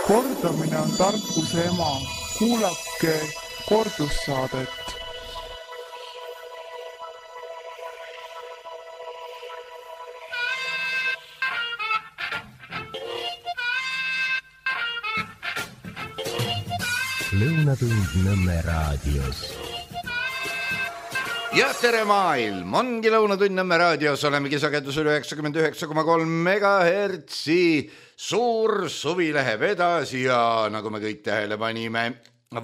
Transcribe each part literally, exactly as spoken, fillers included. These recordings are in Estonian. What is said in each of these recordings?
Kordamine on tarkuse ema. Kuulake kordussaadet. Lõunatund Nõmme raadios. Ja tere maailm, ongi Lõunatund Nõmme raadios, olemegi sagedusel üheksakümmend üheksa koma kolm megahertsi. Suur suvi läheb edasi ja nagu me kõik tähele panime,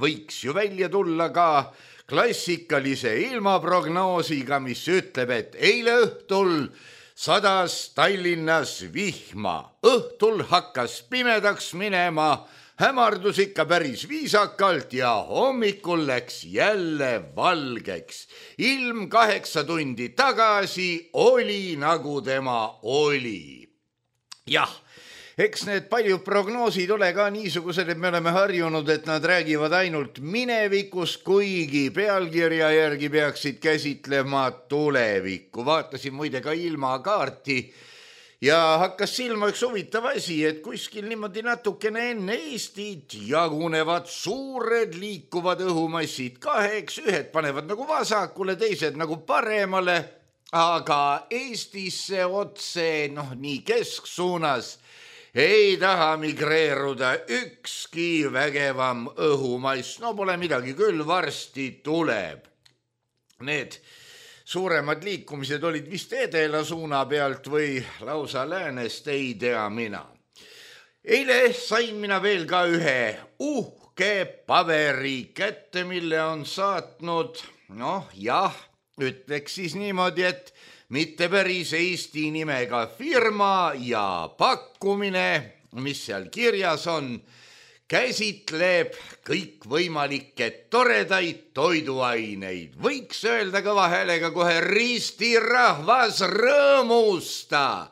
võiks ju välja tulla ka klassikalise ilmaprognoosiga, mis ütleb, et eile õhtul sadas Tallinnas vihma, õhtul hakkas pimedaks minema, hämardus ikka päris viisakalt ja hommikul läks jälle valgeks. Ilm kaheksa tundi tagasi oli nagu tema oli. Jah, eks need paljud prognoosid ole ka niisugused, et me oleme harjunud, et nad räägivad ainult minevikus, kuigi pealkirja järgi peaksid käsitlema tulevikku. Vaatasin muide ka ilmakaarti ja hakkas silma üks huvitav asi, et kuskil niimoodi natukene enne Eestit jagunevad suured liikuvad õhumassid kaheks, ühed panevad nagu vasakule, teised nagu paremale, aga Eestisse otse, noh nii kesksuunas, ei taha migreeruda ükski vägevam õhumass. No pole midagi, küll varsti tuleb. Need suuremad liikumised olid vist edela suuna pealt või lausa läänest, ei tea mina. Eile sain mina veel ka ühe uhke paberi kätte, mille on saatnud, noh jah, ütleks siis niimoodi, et mitte päris Eesti nimega firma ja pakkumine, mis seal kirjas on, käsitleb kõikvõimalikke toredaid toiduaineid. Võiks öelda kõva häälega kohe ristirahvas rõõmusta.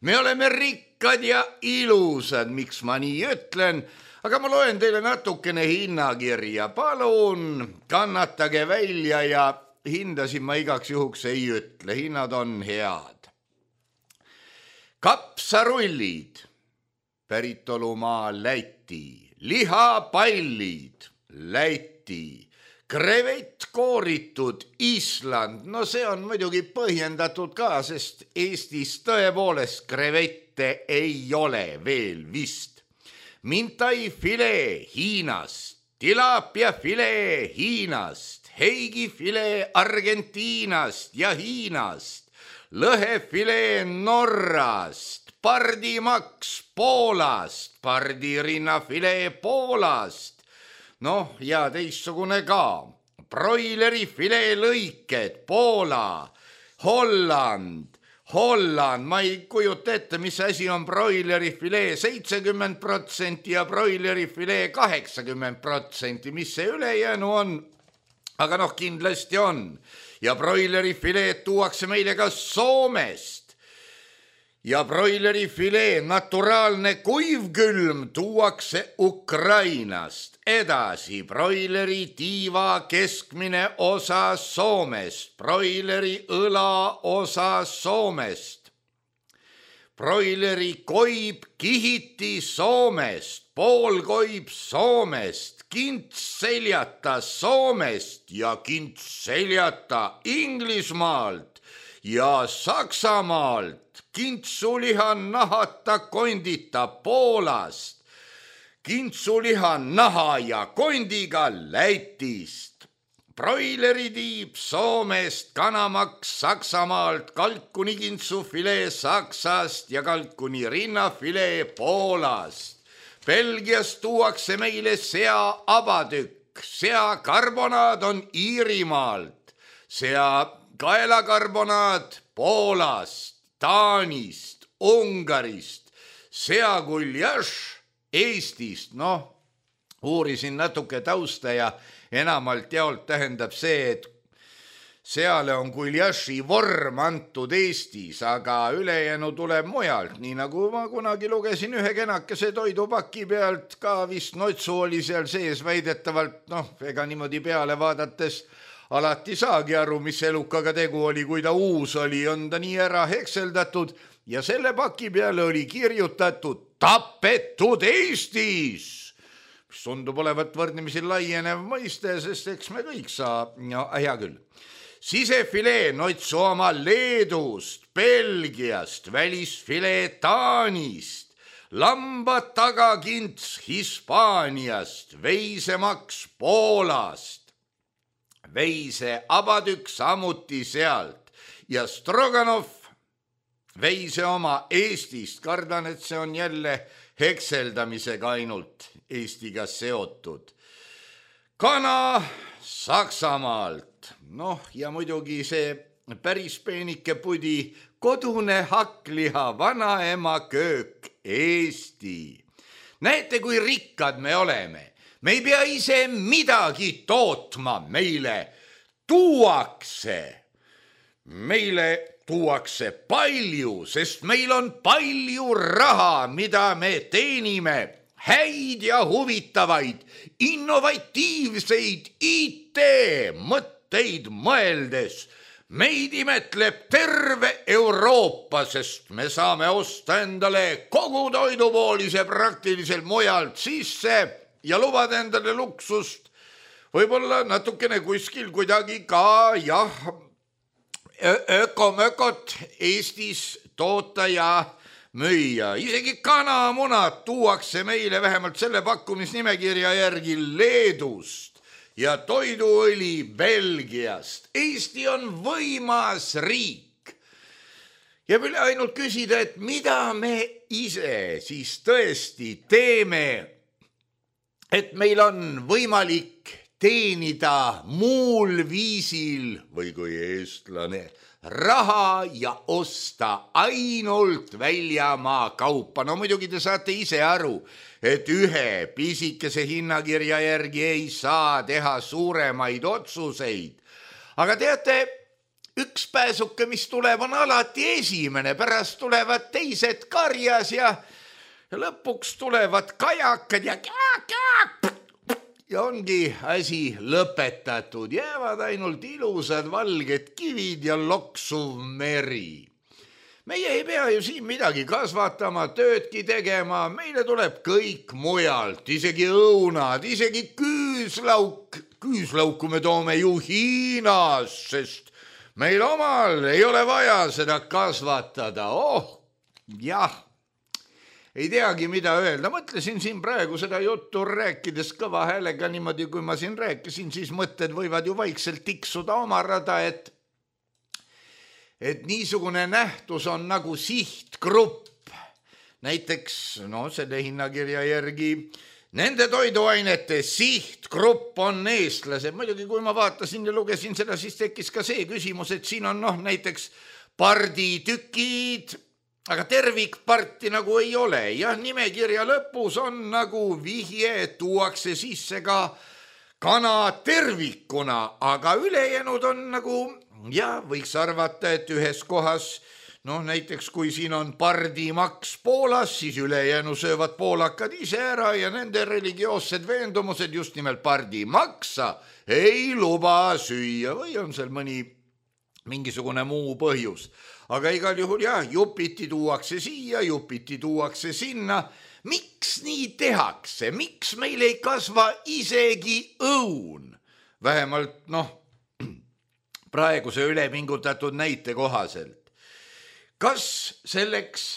Me oleme rikkad ja ilusad, miks ma nii ütlen, aga ma loen teile natukene hinnakirja. Palun kannatage välja ja hindasin ma igaks juhuks ei ütle. Hinnad on head. Kapsarullid, päritolumaa Läti. Lihapallid, Läti, krevett kooritud Island, no see on muidugi põhjendatud ka, sest Eestis tõepoolest krevette ei ole veel vist. Mintai filee Hiinast, tilapia filee Hiinast, heigi filee Argentiinast ja Hiinast, lõhefilee Norrast, pardimaks Poolast, pardirinnafilee Poolast, noh ja teissugune ka, broileri filee lõiked Poola, Holland, Holland, ma ei kujuta ette, mis asi on broileri filee seitsekümmend protsenti ja broileri filee kaheksakümmend protsenti, mis see ülejäänu on, aga noh kindlasti on ja broileri fileed tuuakse meile ka Soomest. Ja broileri filee naturaalne kuivkülm tuuakse Ukrainast. Edasi broileri tiiva keskmine osa Soomest, broileri õla osa Soomest, broileri koib kihiti Soomest, poolkoib Soomest, kints seljata Soomest ja kints seljata Inglismaalt ja Saksamaalt, kintsuliha nahata kondita Poolast, kintsuliha naha ja kondiga Lätist, broileri tiib Soomest, kanamaks Saksamaalt, kalkuni kintsufilee Saksast ja kalkuni rinnafilee Poolast. Belgiast tuuakse meile sea abatükk, sea karbonaad on Iirimaalt, sea kaelakarbonaad Poolast, Taanist, Ungarist, seakuljaš Eestist, noh, uurisin natuke tausta ja enamalt jaolt tähendab see, et seale on kuljaši vorm antud Eestis, aga ülejäänu tuleb mujalt, nii nagu ma kunagi lugesin ühe kenakese toidupaki pealt, ka vist notsu oli seal sees väidetavalt, noh, ega niimoodi peale vaadates alati saagi aru, mis elukaga tegu oli, kui ta uus oli, on ta nii ära hekseldatud ja selle paki peale oli kirjutatud tapetud Eestis. tundub olevat võrdnemisi laienev mõiste, sest eks me kõik saa, no hea küll. Sisefilee Noitsooma Leedust, Belgiast, välisfilee Taanist, lamba tagakints Hispaaniast, veisemaks Poolast, veise abatükk samuti sealt ja Stroganov veise oma Eestist, kardan, et see on jälle hekseldamisega ainult Eestiga seotud. Kana Saksamaalt, noh ja muidugi see päris peenike pudi kodune hakkliha vanaema köök Eesti. Näete, kui rikkad me oleme. Me ei pea ise midagi tootma, meile tuuakse. Meile tuuakse palju, sest meil on palju raha, mida me teenime, häid ja huvitavaid, innovatiivseid I T-mõtteid mõeldes. Meid imetleb terve Euroopa, sest me saame osta endale kogu toidupoolise praktiliselt mujalt sisse ja lubada endale luksust. Võib-olla natukene kuskil kuidagi ka, jah, ökomökot Eestis toota ja müüa. Isegi kanamunad tuuakse meile vähemalt selle pakkumisnimekirja järgi Leedust ja toiduõli Belgiast. Eesti on võimas riik. Ja võime ainult küsida, et mida me ise siis tõesti teeme, et meil on võimalik teenida muul viisil või kui eestlane raha ja osta ainult väljamaa kaupa. No muidugi te saate ise aru, et ühe pisikese hinnakirja järgi ei saa teha suuremaid otsuseid. Aga teate, üks pääsuke, mis tuleb, on alati esimene, pärast tulevad teised karjas ja, ja lõpuks tulevad kajakad ja ja ongi asi lõpetatud, jäävad ainult ilusad valged kivid ja loksuv meri. Meie ei pea ju siin midagi kasvatama, töödki tegema, meile tuleb kõik mujalt, isegi õunad, isegi küüslauk. Küüslauku me toome ju Hiinas, sest meil omal ei ole vaja seda kasvatada. Oh, jah. Ei teagi, mida öelda. Mõtlesin siin praegu seda juttu rääkides kõva häälega niimoodi, kui ma siin rääkisin, siis mõtted võivad ju vaikselt tiksuda oma rada, et, et niisugune nähtus on nagu sihtgrupp. Näiteks, no selle hinnakirja järgi, nende toiduainete sihtgrupp on eestlased. Muidugi, kui ma vaatasin ja lugesin seda, siis tekkis ka see küsimus, et siin on noh, näiteks parditükid, aga tervikparti nagu ei ole. Jah, nimekirja lõpus on nagu vihje, tuuakse sisse ka kana tervikuna, aga ülejäänud on nagu, ja võiks arvata, et ühes kohas, noh näiteks kui siin on pardimaks Poolas, siis ülejäänu söövad poolakad ise ära ja nende religioossed veendumused just nimelt pardimaksa ei luba süüa või on seal mõni mingisugune muu põhjus. Aga igal juhul jah, jupiti tuuakse siia, jupiti tuuakse sinna. Miks nii tehakse? Miks meil ei kasva isegi õun? Vähemalt, noh, praeguse ülepingutatud näite kohaselt. Kas selleks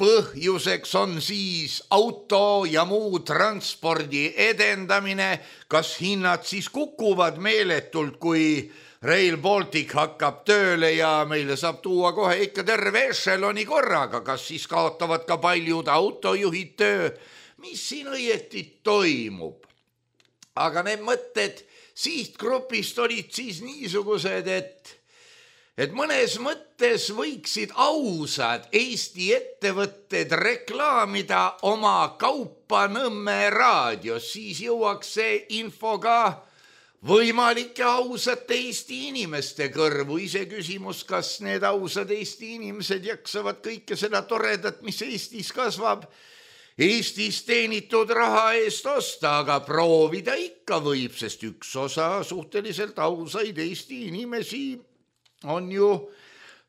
põhjuseks on siis auto ja muu transpordi edendamine? Kas hinnad siis kukuvad meeletult, kui Rail Baltic hakkab tööle ja meile saab tuua kohe ikka terve ešeloni korraga? Kas siis kaotavad ka paljud autojuhid töö? Mis siin õieti toimub? Aga need mõtted sihtgrupist olid siis niisugused, et, et mõnes mõttes võiksid ausad Eesti ettevõtted reklaamida oma kaupa Nõmme raadios, siis jõuaks see info ka võimalike ausate Eesti inimeste kõrvu. Ise küsimus, kas need ausad Eesti inimesed jaksavad kõike seda toredat, mis Eestis kasvab, Eestis teenitud raha eest osta, aga proovida ikka võib, sest üks osa suhteliselt ausaid Eesti inimesi on ju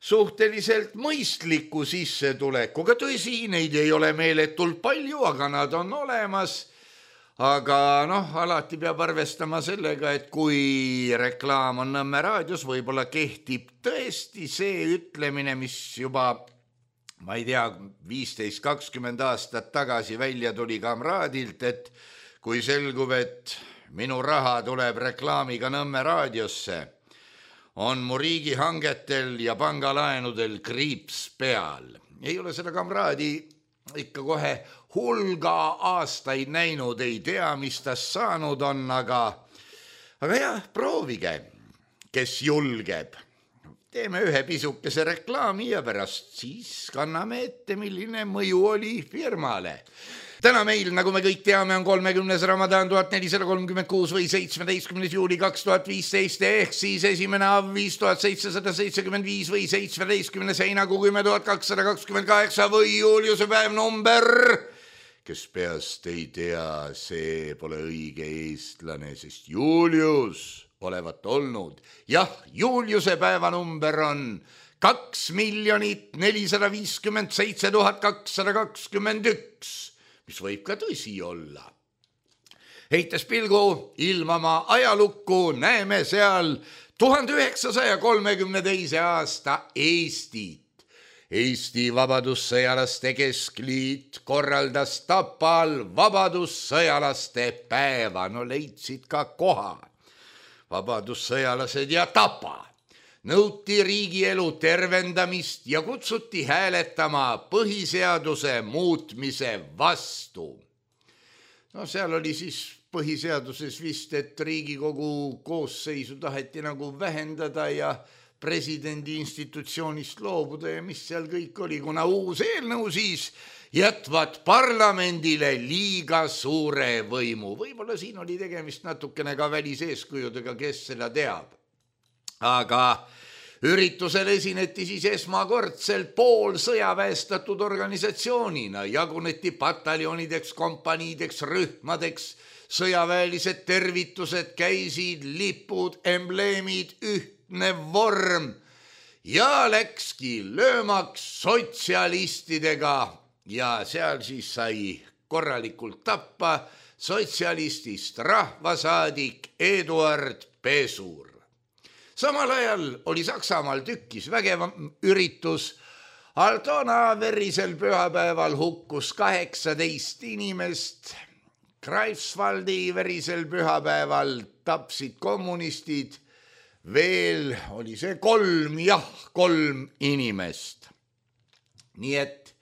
suhteliselt mõistliku sissetulekuga. Tõsi, neid ei ole meeletult palju, aga nad on olemas. Aga noh, alati peab arvestama sellega, et kui reklaam on Nõmme raadios, võib-olla kehtib tõesti see ütlemine, mis juba, ma ei tea, viisteist kakskümmend aastat tagasi välja tuli Kamraadilt, et kui selgub, et minu raha tuleb reklaamiga Nõmme raadiosse, on mu riigihangetel ja pangalaenudel kriips peal. Ei ole seda Kamraadi ikka kohe hulga aastaid näinud, ei tea, mis tast saanud on, aga, aga jah, proovige, kes julgeb. Teeme ühe pisukese reklaami ja pärast siis kanname ette, milline mõju oli firmale. Täna meil, nagu me kõik teame, on kolmekümnes Ramadan tuhat nelisada kolmkümmend kuus või seitsmeteistkümnes juuli kaks tuhat viisteist ehk siis esimene av viis tuhat seitsesada seitsekümmend viis või seitsmeteistkümnes heinakuu kümme tuhat kakssada kakskümmend kaheksa või Juliuse päev number. Kes peast ei tea, see pole õige eestlane, sest Julius olevat olnud. Jah, Juliuse päeva number on kaks miljonit nelisada viiskümmend seitse tuhat kakssada kakskümmend üks. Mis võib ka tõsi olla. Heites pilgu ilmama ajalukku näeme seal tuhande üheksasaja kolmekümne teise aasta Eestit. Eesti Vabadussõjalaste Keskliit korraldas Tapal Vabadussõjalaste päeva. No leidsid ka koha. Vabadussõjalased ja Tapa. Nõuti riigielu tervendamist ja kutsuti hääletama põhiseaduse muutmise vastu. No seal oli siis põhiseaduses vist, et Riigikogu koosseisu taheti nagu vähendada ja presidendi institutsioonist loobuda ja mis seal kõik oli, kuna uus eelnõu siis jätvad parlamendile liiga suure võimu. Võib-olla siin oli tegemist natukene ka väliseeskujudega, kes seda teab. Aga üritusel esineti siis esmakordselt pool sõjaväestatud organisatsioonina, jaguneti pataljonideks, kompaniideks, rühmadeks, sõjaväelised tervitused, käisid lipud, embleemid, ühtne vorm ja läkski löömaks sotsialistidega ja seal siis sai korralikult tappa sotsialistist rahvasaadik Eduard Pesur. Samal ajal oli Saksamaal tükkis vägevam üritus. Altona verisel pühapäeval hukkus kaheksateist inimest. Greifswaldi verisel pühapäeval tapsid kommunistid. Veel oli see kolm, jah, kolm inimest. Nii et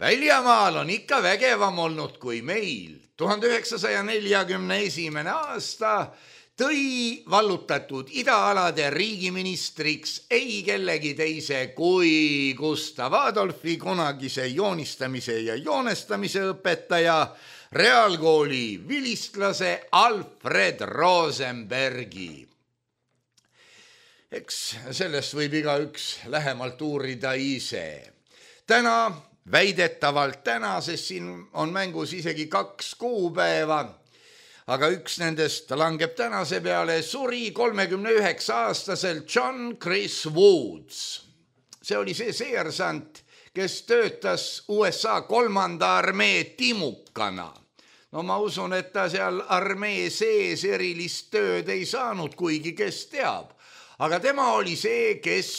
väljamaal on ikka vägevam olnud kui meil. tuhande üheksasaja neljakümne esimene aasta tõi vallutatud idaalade riigiministriks ei kellegi teise kui Gustav Adolfi, kunagise joonistamise ja joonestamise õpetaja, reaalkooli vilistlase Alfred Rosenbergi. Eks sellest võib igaüks lähemalt uurida ise. Täna, väidetavalt täna, sest siin on mängus isegi kaks kuupäeva, aga üks nendest langeb tänase peale, suri kolmekümne üheksa aastaselt John Chris Woods. See oli see seersant, kes töötas U S A kolmanda armee timukana. No ma usun, et ta seal armee sees erilist tööd ei saanud, kuigi kes teab. Aga tema oli see, kes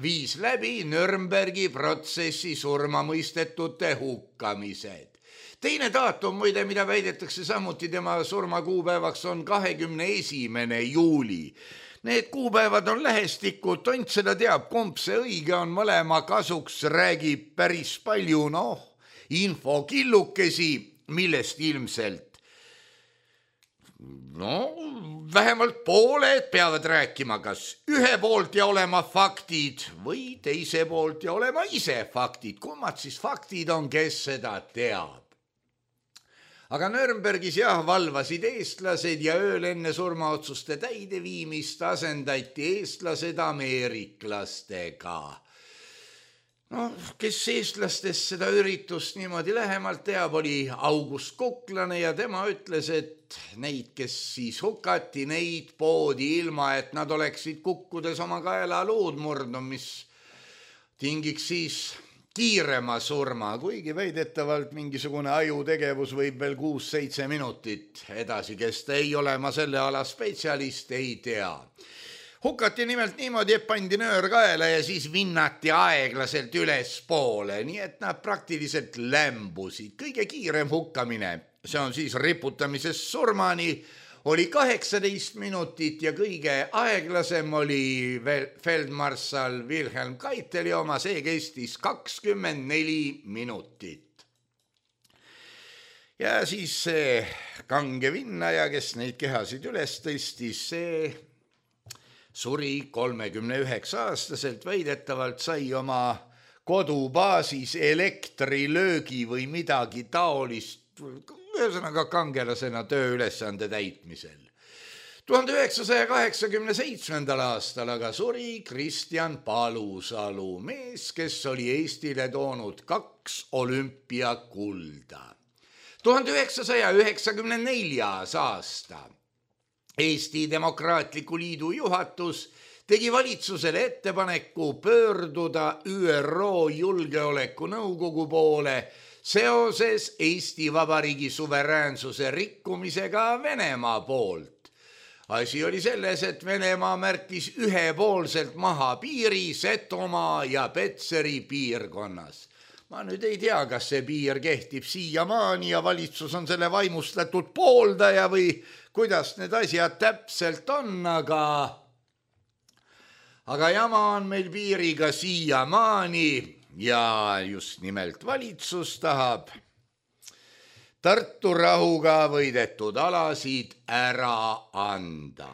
viis läbi Nürnbergi protsessi surmamõistetute hukkamised. Teine daatum, muide, mida väidetakse samuti tema surmakuupäevaks, on kahekümne esimene juuli. Need kuupäevad on lähestikku, tont seda teab, kumb see õige on, mõlema kasuks räägib päris palju, noh, infokillukesi, millest ilmselt, no, vähemalt pooled peavad rääkima kas ühe poolt ja olema faktid või teise poolt ja olema ise faktid. Kummad siis faktid on, kes seda teab? Aga Nürnbergis jah, valvasid eestlased ja ööl enne surmaotsuste täideviimist asendati eestlased ameeriklastega. No, kes eestlastest seda üritust niimoodi lähemalt teab, oli August Kuklane ja tema ütles, et neid, kes siis hukati, neid poodi ilma, et nad oleksid kukkudes oma kaela luud murdnud, mis tingiks siis kiirema surma, kuigi väidetavalt mingisugune ajutegevus võib veel kuus-seitse minutit edasi kesta. Ei ole ma selle ala spetsialist, ei tea. Hukati nimelt niimoodi, et pandi nöör kaela ja siis vinnati aeglaselt üles poole, nii et nad praktiliselt lämbusid. Kõige kiirem hukkamine, see on siis riputamisest surmani, oli kaheksateist minutit ja kõige aeglasem oli feldmarssal Wilhelm Keiteli oma, see kestis kakskümmend neli minutit. Ja siis see kange vinnaja, kes neid kehasid üles tõstis, see suri kolmekümne üheksa aastaselt, väidetavalt sai oma kodubaasis elektrilöögi või midagi taolist, ühesõnaga kangelasena tööülesande täitmisel. tuhande üheksasaja kaheksakümne seitsmendal aastal aga suri Kristjan Palusalu, mees, kes oli Eestile toonud kaks olümpiakulda. tuhande üheksasaja üheksakümne neljas aasta Eesti Demokraatliku Liidu juhatus tegi valitsusele ettepaneku pöörduda Ü R O Julgeolekunõukogu poole seoses Eesti Vabariigi suveräänsuse rikkumisega Venemaa poolt. Asi oli selles, et Venemaa märkis ühepoolselt maha piiri Setomaa ja Petseri piirkonnas. Ma nüüd ei tea, kas see piir kehtib siiamaani ja valitsus on selle vaimustatud pooldaja või kuidas need asjad täpselt on, aga, aga jama on meil piiriga siiamaani ja just nimelt valitsus tahab Tartu rahuga võidetud alasid ära anda.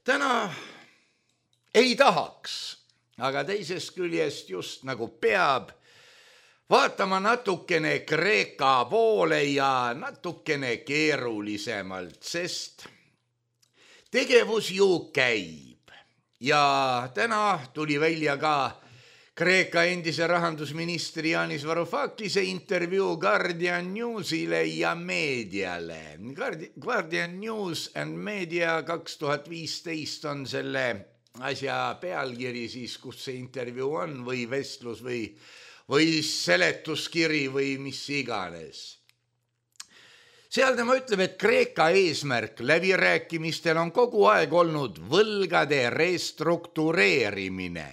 Täna ei tahaks, aga teisest küljest just nagu peab vaatama natukene Kreeka poole ja natukene keerulisemalt, sest tegevus ju käib. Ja täna tuli välja ka Kreeka endise rahandusministri Yanis Varoufakise intervjuu Guardian Newsile ja meediale. Guardian News and Media kaks tuhat viisteist on selle asja pealkiri siis, kus see intervjuu on või vestlus või või seletuskiri või mis iganes. Seal tema ütleb, et Kreeka eesmärk läbirääkimistel on kogu aeg olnud võlgade restruktureerimine,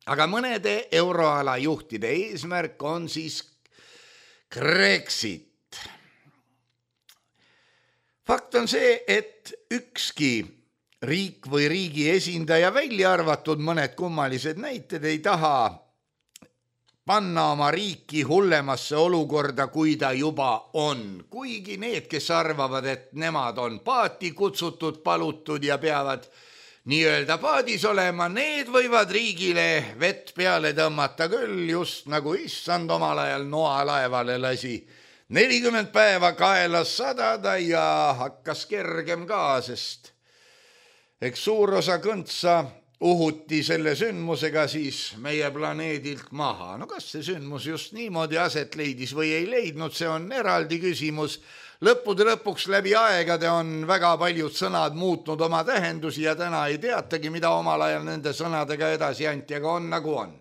aga mõnede euroala juhtide eesmärk on siis Brexit. Fakt on see, et ükski riik või riigi esindaja, välja arvatud mõned kummalised näited, ei taha panna oma riiki hullemasse olukorda, kui ta juba on. Kuigi need, kes arvavad, et nemad on paati kutsutud, palutud ja peavad nii-öelda paadis olema, need võivad riigile vett peale tõmmata küll, just nagu issand omal ajal Noa laevale lasi nelikümmend päeva kaelas sadada ja hakkas kergem ka, sest eks suur osa kõntsa uhuti selle sündmusega siis meie planeedilt maha. No kas see sündmus just niimoodi aset leidis või ei leidnud, see on eraldi küsimus. Lõppude lõpuks läbi aegade on väga paljud sõnad muutnud oma tähendusi ja täna ei teatagi, mida omal ajal nende sõnadega edasi anti, aga on nagu on.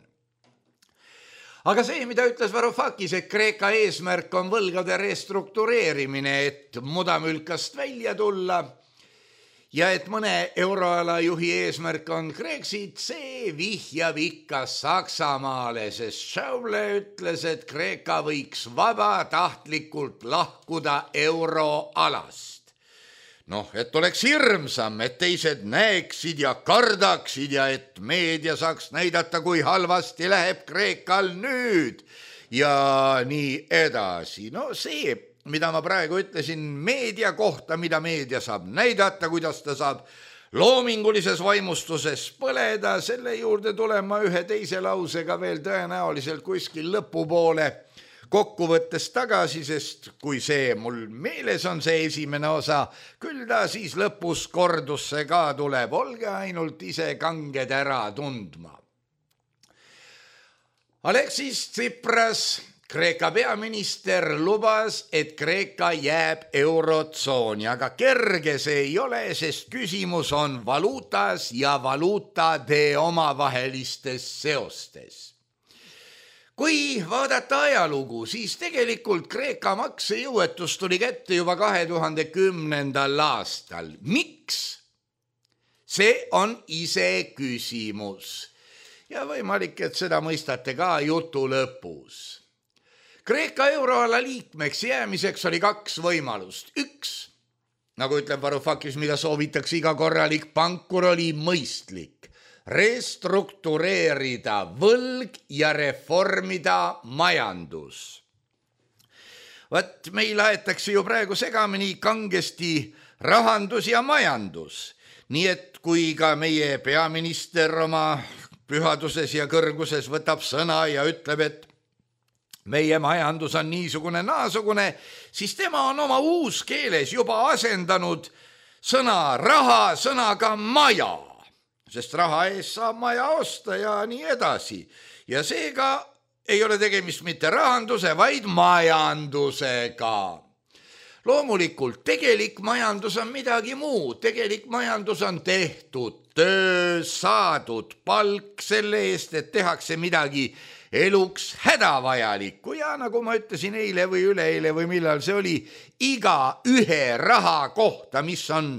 Aga see, mida ütles Varoufakis, et Kreeka eesmärk on võlgade restruktureerimine, et mudamülkast välja tulla, ja et mõne euroala juhi eesmärk on Brexit, see vihjab ikka Saksamaale, sest Schäuble ütles, et Kreeka võiks vabatahtlikult lahkuda euroalast. Noh, et oleks hirmsam, et teised näeksid ja kardaksid ja et meedia saaks näidata, kui halvasti läheb Kreekal nüüd ja nii edasi. No see, mida ma praegu ütlesin meedia kohta, mida meedia saab näidata, kuidas ta saab loomingulises vaimustuses põleda, selle juurde tulema ühe teise lausega veel tõenäoliselt kuskil lõpupoole kokkuvõttes tagasi, sest kui see mul meeles on see esimene osa, küll ta siis lõpus kordusse ka tuleb, olge ainult ise kanged ära tundma. Alexis Tsipras, Kreeka peaminister, lubas, et Kreeka jääb eurotsooni, aga kerge see ei ole, sest küsimus on valuutas ja valuutade omavahelistes seostes. kui vaadata ajalugu, siis tegelikult Kreeka maksejõuetus tuli kätte juba kahe tuhande kümnendal aastal. Miks? See on ise küsimus. Ja võimalik, et seda mõistate ka jutu lõpus. Kreeka euroala liikmeks jäämiseks oli kaks võimalust. Üks, nagu ütleb Varoufakis, mida soovitakse iga korralik pankur, oli mõistlik. Restruktureerida võlg ja reformida majandus. Vaat meil aetakse ju praegu segamini kangesti rahandus ja majandus. Nii et kui ka meie peaminister oma pühaduses ja kõrguses võtab sõna ja ütleb, et meie majandus on niisugune naasugune, siis tema on oma uus keeles juba asendanud sõna raha sõnaga maja. Sest raha ees saab maja osta ja nii edasi. Ja seega ei ole tegemist mitte rahanduse, vaid majandusega. Loomulikult, tegelik majandus on midagi muud. Tegelik majandus on tehtud töö, saadud palk selle eest, et tehakse midagi eluks hädavajalikku. Ja nagu ma ütlesin eile või üleeile või millal see oli, iga ühe raha kohta, mis on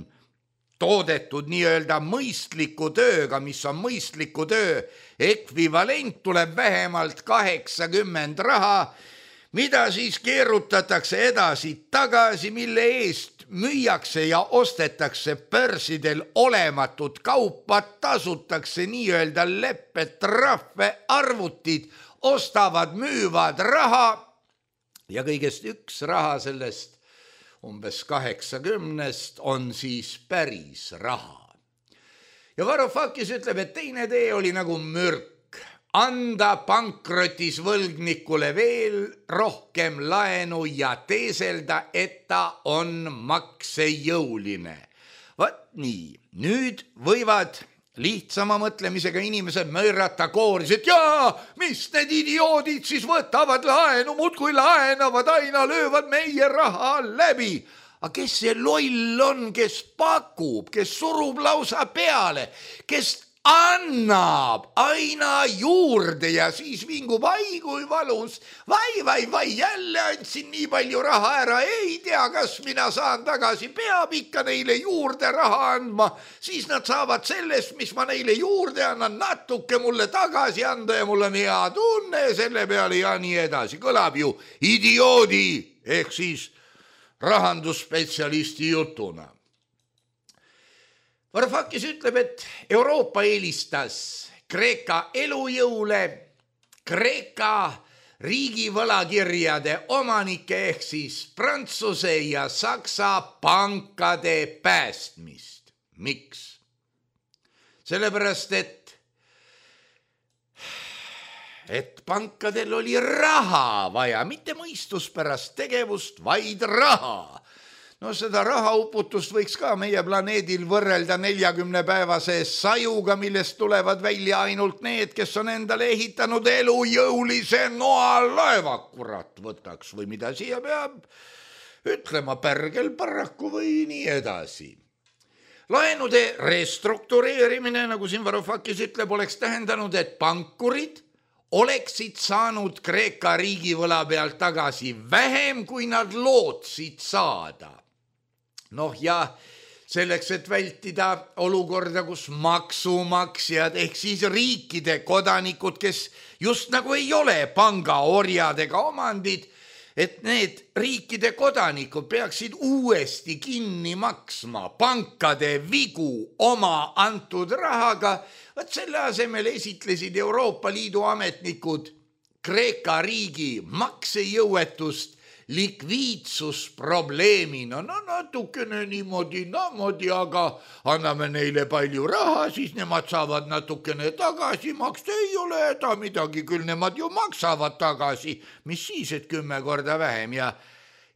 toodetud nii-öelda mõistliku tööga, mis on mõistliku töö ekvivalent, tuleb vähemalt kaheksakümmend raha, mida siis keerutatakse edasi tagasi, mille eest müüakse ja ostetakse börsidel olematut kaupa, tasutakse nii-öelda lepped, trahve, arvutid, ostavad, müüvad raha ja kõigest üks raha sellest umbes kaheksakümnest on siis päris raha. Ja Varoufakis ütleb, et teine tee oli nagu mürk. Anda pankrotis võlgnikule veel rohkem laenu ja teeselda, et ta on maksejõuline. Vaat nii, nüüd võivad lihtsama mõtlemisega inimesed möörata kooris, et jaa, mis need idioodid siis võtavad laenu, muudkui laenavad, aina löövad meie raha läbi. Aga kes see loll on, kes pakub, kes surub lausa peale, kes annab aina juurde ja siis vingub, ai kui valus, vai, vai, vai, jälle andsin nii palju raha ära, ei tea, kas mina saan tagasi, peab ikka neile juurde raha andma, siis nad saavad sellest, mis ma neile juurde annan, natuke mulle tagasi anda ja mul on hea tunne selle peale ja nii edasi. Kõlab ju idioodi ehk siis rahandusspetsialisti jutuna. Varoufakis ütleb, et Euroopa eelistas Kreeka elujõule, Kreeka riigivõlakirjade omanike ehk siis Prantsuse ja Saksa pankade päästmist. Miks? Sellepärast, et, et pankadel oli raha vaja, mitte mõistuspärast tegevust, vaid raha. No seda rahauputust võiks ka meie planeedil võrrelda neljakümne päevase sajuga, millest tulevad välja ainult need, kes on endale ehitanud elujõulise noalaeva. Kurat võtaks või mida siia peab ütlema, pärgel paraku või nii edasi. Laenude restruktureerimine, nagu siin Varoufakis ütleb, oleks tähendanud, et pankurid oleksid saanud Kreeka riigivõla pealt tagasi vähem, kui nad lootsid saada. Noh ja selleks, et vältida olukorda, kus maksumaksjad ehk siis riikide kodanikud, kes just nagu ei ole pangaorjadega omandid, et need riikide kodanikud peaksid uuesti kinni maksma pankade vigu oma antud rahaga, vaat selle asemel esitlesid Euroopa Liidu ametnikud Kreeka riigi maksejõuetust likviidsusprobleemina. No natukene niimoodi, namoodi, aga anname neile palju raha, siis nemad saavad natukene tagasi maksta. Ei ole häda midagi, küll nemad ju maksavad tagasi. Mis siis, et kümme korda vähem ja,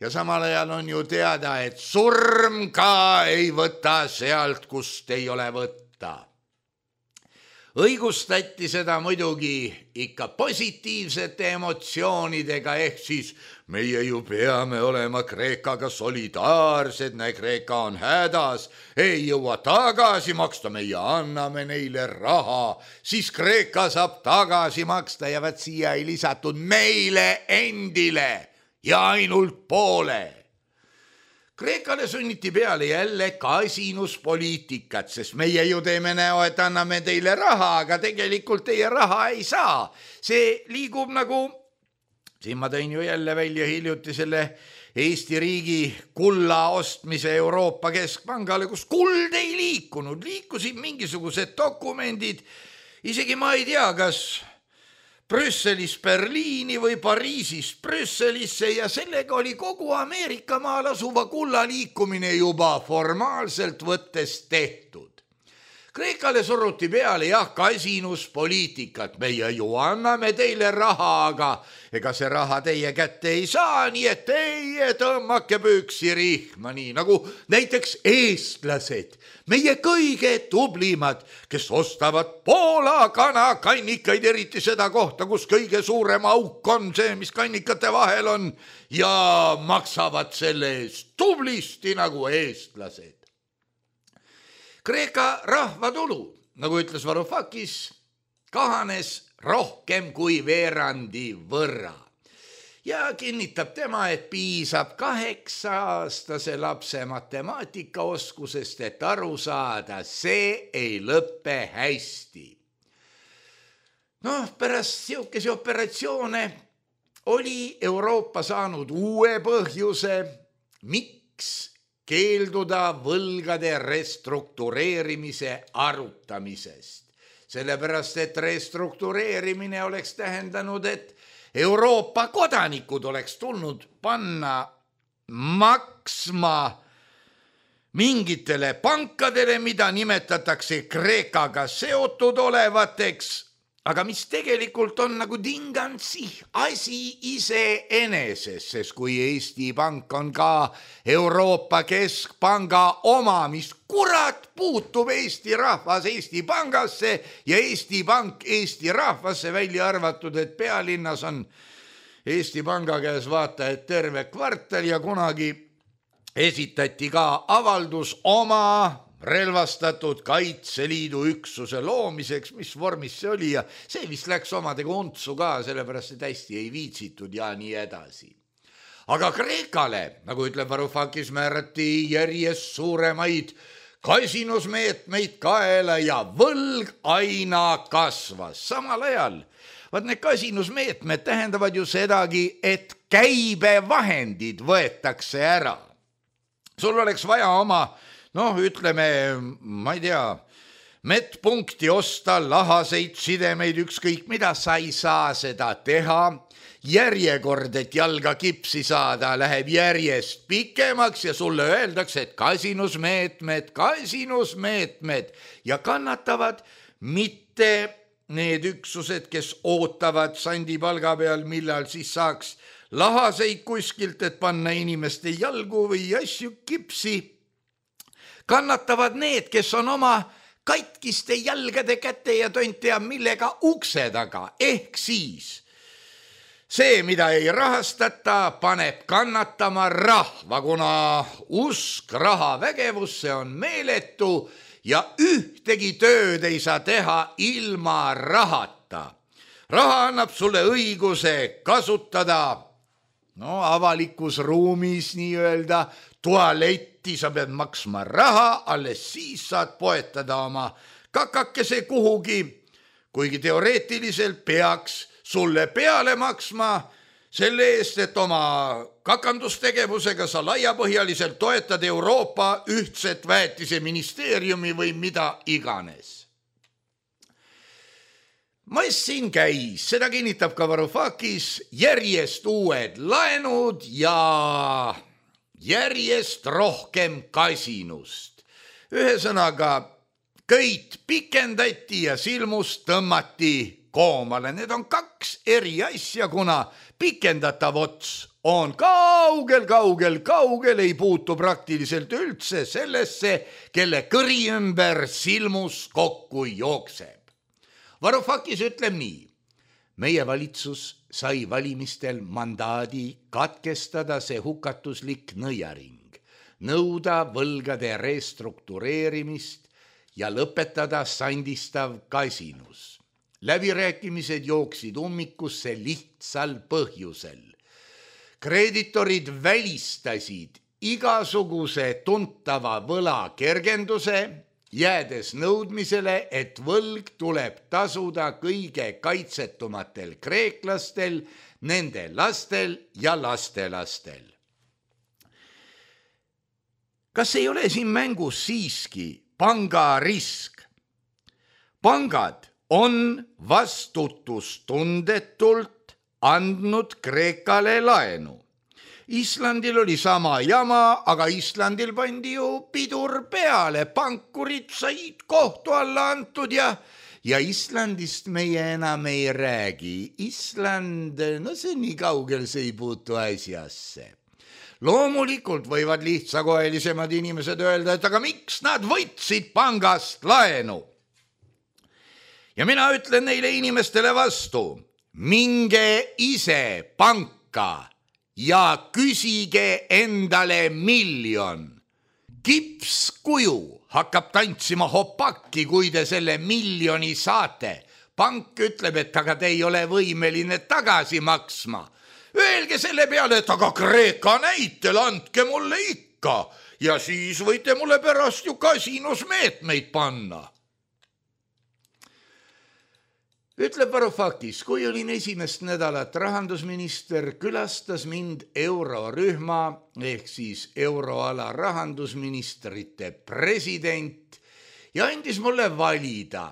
ja samal ajal on ju teada, et surm ka ei võta sealt, kust ei ole võtta. õigustati seda muidugi ikka positiivsete emotsioonidega, ehk siis meie ju peame olema Kreekaga solidaarsed, näe Kreeka on hädas, ei jõua tagasi maksta, meie anname neile raha, siis Kreeka saab tagasi maksta ja vaat siia ei lisatud meile endile ja ainult poole. Kreekale sunniti peale jälle kasinuspoliitikat, sest meie ju teeme näo, et anname teile raha, aga tegelikult teie raha ei saa. See liigub nagu, siin ma tõin ju jälle välja hiljuti selle Eesti riigi kulla ostmise Euroopa Keskpangale, kus kuld ei liikunud, liikusid mingisugused dokumendid, isegi ma ei tea, kas Brüsselis Berliini või Pariisis Brüsselisse ja sellega oli kogu Ameerika maal asuva kulla liikumine juba formaalselt võttes tehtud. Kreekale suruti peale jah kasinuspoliitikat, meie ju anname teile raha, aga ega see raha teie kätte ei saa, nii et teie tõmmake püksi rihma, nii nagu näiteks eestlased, meie kõige tublimad, kes ostavad Poola kanakannikaid, eriti seda kohta, kus kõige suurem auk on see, mis kannikate vahel on, ja maksavad selle eest tublisti nagu eestlased. Kreeka rahvatulu, nagu ütles Varoufakis, kahanes rohkem kui veerandi võrra ja kinnitab tema, et piisab kaheksa-aastase lapse matemaatikaoskusest, et aru saada, see ei lõppe hästi. Noh, pärast siukese operatsioone oli Euroopa saanud uue põhjuse, miks keelduda võlgade restruktureerimise arutamisest. Sellepärast, et restruktureerimine oleks tähendanud, et Euroopa kodanikud oleks tulnud panna maksma mingitele pankadele, mida nimetatakse Kreekaga seotud olevateks, aga mis tegelikult on nagu dingansi asi iseeneses, sest kui Eesti Pank on ka Euroopa Keskpanga oma, mis kurat puutub Eesti rahvas Eesti Pangasse ja Eesti Pank Eesti rahvasse, välja arvatud, et pealinnas on Eesti Panga käes vaata, et terve kvartal ja kunagi esitati ka avaldus oma relvastatud Kaitseliidu üksuse loomiseks, mis vormis see oli ja see vist läks omadega untsu ka, sellepärast et hästi ei viitsitud ja nii edasi. Aga Kreekale, nagu ütleb Varoufakis, määrati järjest suuremaid kasinusmeetmeid kaela ja võlg aina kasvas. Samal ajal, vaat need kasinusmeetmed tähendavad ju sedagi, et käibevahendid võetakse ära. Sul oleks vaja oma noh, ütleme, ma ei tea, medpunkti osta, lahaseid sidemeid, ükskõik mida, sa ei saa seda teha. Järjekord, et jalga kipsi saada, läheb järjest pikemaks ja sulle öeldakse, et kasinusmeetmed, kasinusmeetmed ja kannatavad mitte need üksused, kes ootavad sandi palga peal, millal siis saaks lahaseid kuskilt, et panna inimeste jalgu või asju kipsi. Kannatavad need, kes on oma katkiste jalgade kätte ja tonti ja millega ukse taga, ehk siis see, mida ei rahastata, paneb kannatama rahva, kuna usk raha vägevusse on meeletu ja ühtegi tööd ei saa teha ilma rahata. Raha annab sulle õiguse kasutada no, avalikus ruumis nii-öelda tualetti, sa pead maksma raha, alles siis saad poetada oma kakakese kuhugi, kuigi teoreetiliselt peaks sulle peale maksma selle eest, et oma kakandustegevusega sa laiapõhjaliselt toetad Euroopa ühtset väetise ministeeriumi või mida iganes. Mass siin käis, seda kinnitab ka Varoufakis, järjest uued laenud ja järjest rohkem kasinust. Ühesõnaga, köit pikendati ja silmus tõmmati koomale. Need on kaks eri asja, kuna pikendatav ots on kaugel, kaugel, kaugel, ei puutu praktiliselt üldse sellesse, kelle kõri ümber silmus kokku jookseb. Varoufakis ütleb nii. Meie valitsus sai valimistel mandaadi katkestada see hukatuslik nõiaring, nõuda võlgade restruktureerimist ja lõpetada sandistav kasinus. Läbirääkimised jooksid ummikusse lihtsal põhjusel. Kreeditorid välistasid igasuguse tuntava võla kergenduse, jäädes nõudmisele, et võlg tuleb tasuda kõige kaitsetumatel kreeklastel, nende lastel ja lastelastel. Kas ei ole siin mängus siiski panga risk? Pangad on vastutustundetult andnud Kreekale laenu. Islandil oli sama jama, aga Islandil pandi ju pidur peale, pankurid said kohtu alla antud ja, ja Islandist meie enam ei räägi. Island, no see nii kaugel see ei puutu asjasse. Loomulikult võivad lihtsakoelisemad inimesed öelda, et aga miks nad võtsid pangast laenu? Ja mina ütlen neile inimestele vastu, minge ise panka ja küsige endale miljon. Kipskuju hakkab tantsima hopakki, kui te selle miljoni saate. Pank ütleb, et aga te ei ole võimeline tagasi maksma. Öelge selle peale, et aga Kreeka näitel andke mulle ikka ja siis võite mulle pärast ju kasinos meetmeid panna. Ütleb Varoufakis, kui olin esimest nädalat rahandusminister, külastas mind eurorühma ehk siis euroala rahandusministrite president ja andis mulle valida,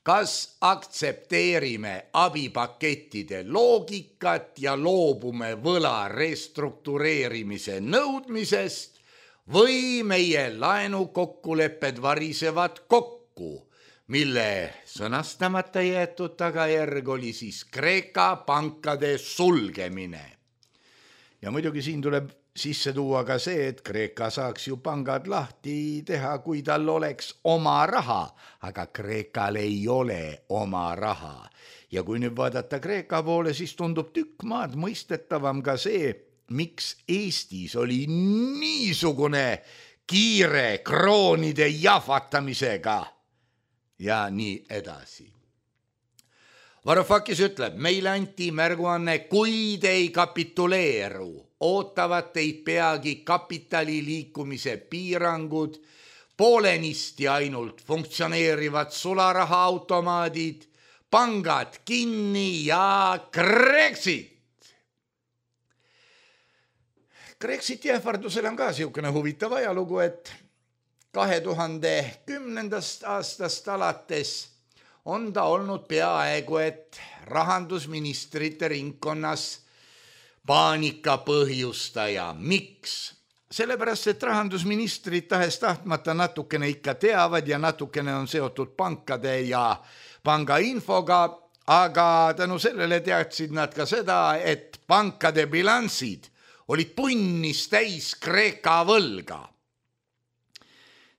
kas aktsepteerime abipakettide loogikat ja loobume võla restruktureerimise nõudmisest või meie laenukokkulepped varisevad kokku, mille sõnastamata jäetud tagajärg oli siis Kreeka pankade sulgemine. Ja muidugi siin tuleb sisse tuua ka see, et Kreeka saaks ju pangad lahti teha, kui tal oleks oma raha, aga Kreekal ei ole oma raha. Ja kui nüüd vaadata Kreeka poole, siis tundub tükk maad mõistetavam ka see, miks Eestis oli niisugune kiire kroonide jahvatamisega. Ja nii edasi. Varoufakis ütleb, meile anti märguanne, kui te ei kapituleeru, ootavad teid peagi kapitali liikumise piirangud, poolenisti ainult funktsioneerivad sularahaautomaadid, pangad kinni ja Brexit. Brexiti ähvardusel on ka siukene huvitav ajalugu, et kahe tuhande kümnendast aastast alates on ta olnud peaaegu, et rahandusministrite ringkonnas paanika põhjustaja. Miks? Sellepärast, et rahandusministrid tahes tahtmata natukene ikka teavad ja natukene on seotud pankade ja panga infoga, aga tänu sellele teadsid nad ka seda, et pankade bilansid olid punnis täis Kreeka võlga.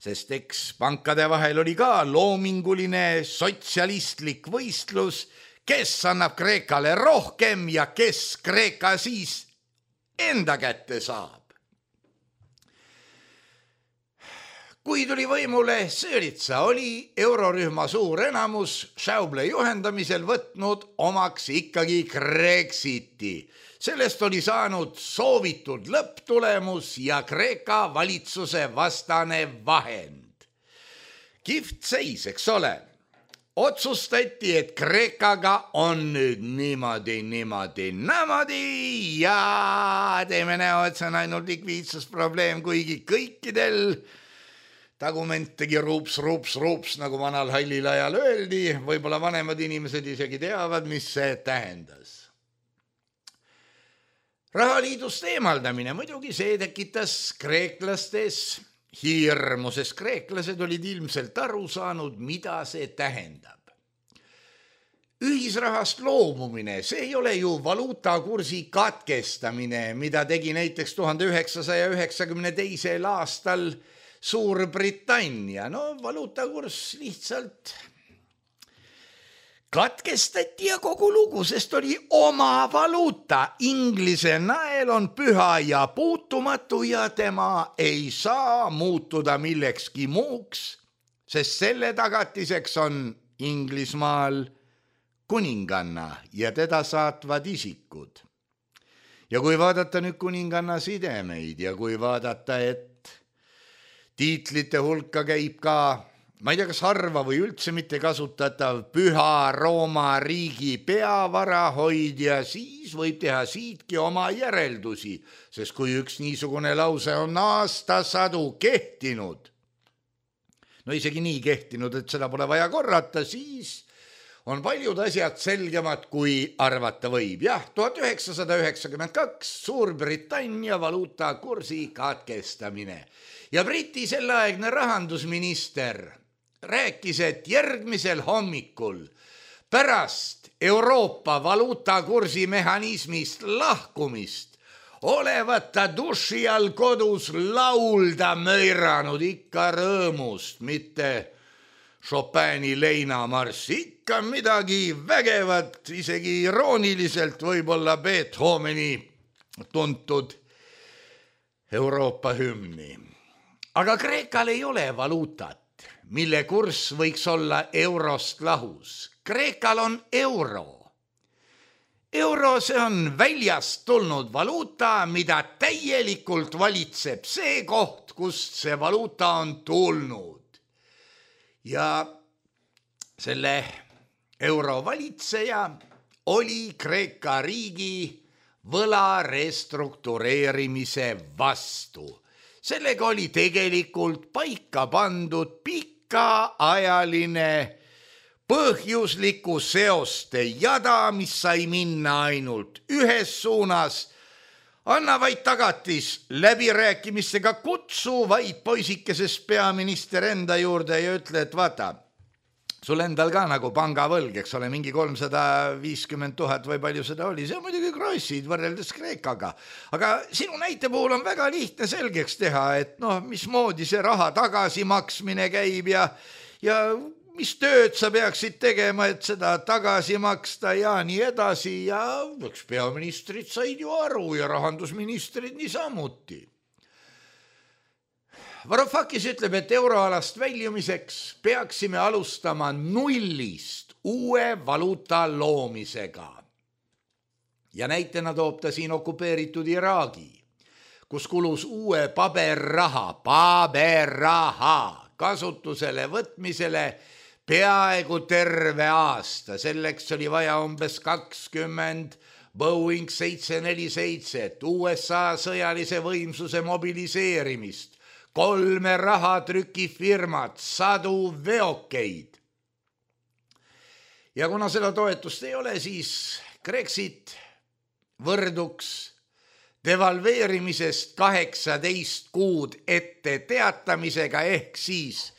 Sest eks pankade vahel oli ka loominguline sotsialistlik võistlus, kes annab Kreekale rohkem ja kes Kreeka siis enda kätte saab. Kui tuli võimule Syriza, oli eurorühma suur enamus Schäuble juhendamisel võtnud omaks ikkagi Brexiti. Sellest oli saanud soovitud lõpptulemus ja Kreeka valitsuse vastane vahend. Kihvt seis, eks ole. Otsustati, et Kreekaga on nüüd niimoodi, niimoodi, niimoodi ja teeme näo, et see on ainult likviidsusprobleem, kuigi kõikidel tagument tegi ruups, ruups, ruups, nagu vanal hallil ajal öeldi. Võib-olla vanemad inimesed isegi teavad, mis see tähendas. Rahaliidust eemaldamine, muidugi see tekitas kreeklastes hirmu, sest kreeklased olid ilmselt aru saanud, mida see tähendab. Ühisrahast loobumine, see ei ole ju valuutakursi katkestamine, mida tegi näiteks tuhande üheksasaja üheksakümne teisel aastal Suurbritannia. No valuutakurss lihtsalt katkestati ja kogu lugu, sest oli oma valuuta. Inglise nael on püha ja puutumatu ja tema ei saa muutuda millekski muuks, sest selle tagatiseks on Inglismaal kuninganna ja teda saatvad isikud. Ja kui vaadata nüüd kuninganna sidemeid ja kui vaadata, et tiitlite hulka käib ka, ma ei tea, kas harva või üldse mitte kasutatav Püha Rooma riigi peavarahoidja, siis võib teha siitki oma järeldusi, sest kui üks niisugune lause on aastasadu kehtinud, no isegi nii kehtinud, et seda pole vaja korrata, siis on paljud asjad selgemad, kui arvata võib. Jah, tuhat üheksasada üheksakümmend kaks Suurbritannia valuutakursi katkestamine ja Briti selleaegne rahandusminister rääkis, et järgmisel hommikul pärast Euroopa valuutakursi mehhanismist lahkumist olevat ta duši all kodus laulda möiranud ikka rõõmust, mitte Chopini leinamarss, ikka midagi vägevat, isegi irooniliselt võib-olla Beethoveni tuntud Euroopa hümni. Aga Kreekal ei ole valuutat, mille kurss võiks olla eurost lahus. Kreekal on euro. Euro, see on väljast tulnud valuuta, mida täielikult valitseb see koht, kust see valuuta on tulnud. Ja selle euro valitseja oli Kreeka riigi võla restruktureerimise vastu. Sellega oli tegelikult paika pandud pikaajaline põhjusliku seoste jada, mis sai minna ainult ühes suunas. Anna vaid tagatis läbirääkimistega, kutsu vaid poisikesest peaminister enda juurde ja ütle, et vaata, sul endal ka nagu pangavõlg, eks ole, mingi kolmsada viiskümmend tuhat või palju seda oli, see on muidugi krossid võrreldes Kreekaga. Aga sinu näite puhul on väga lihtne selgeks teha, et noh, mismoodi see raha tagasimaksmine käib ja, ja mis tööd sa peaksid tegema, et seda tagasi maksta ja nii edasi ja eks peaministrid said ju aru ja rahandusministrid niisamuti. Varoufakis ütleb, et euroalast väljumiseks peaksime alustama nullist uue valuuta loomisega. Ja näitena toob ta siin okupeeritud Iraagi, kus kulus uue paberraha, paberraha kasutusele võtmisele peaaegu terve aasta. Selleks oli vaja umbes kakskümmend Boeing seitse neli seitse, U S A sõjalise võimsuse mobiliseerimist, kolme rahatrükifirmat, sadu veokeid. Ja kuna seda toetust ei ole, siis Brexit võrduks devalveerimisest kaheksateist kuud ette teatamisega ehk siis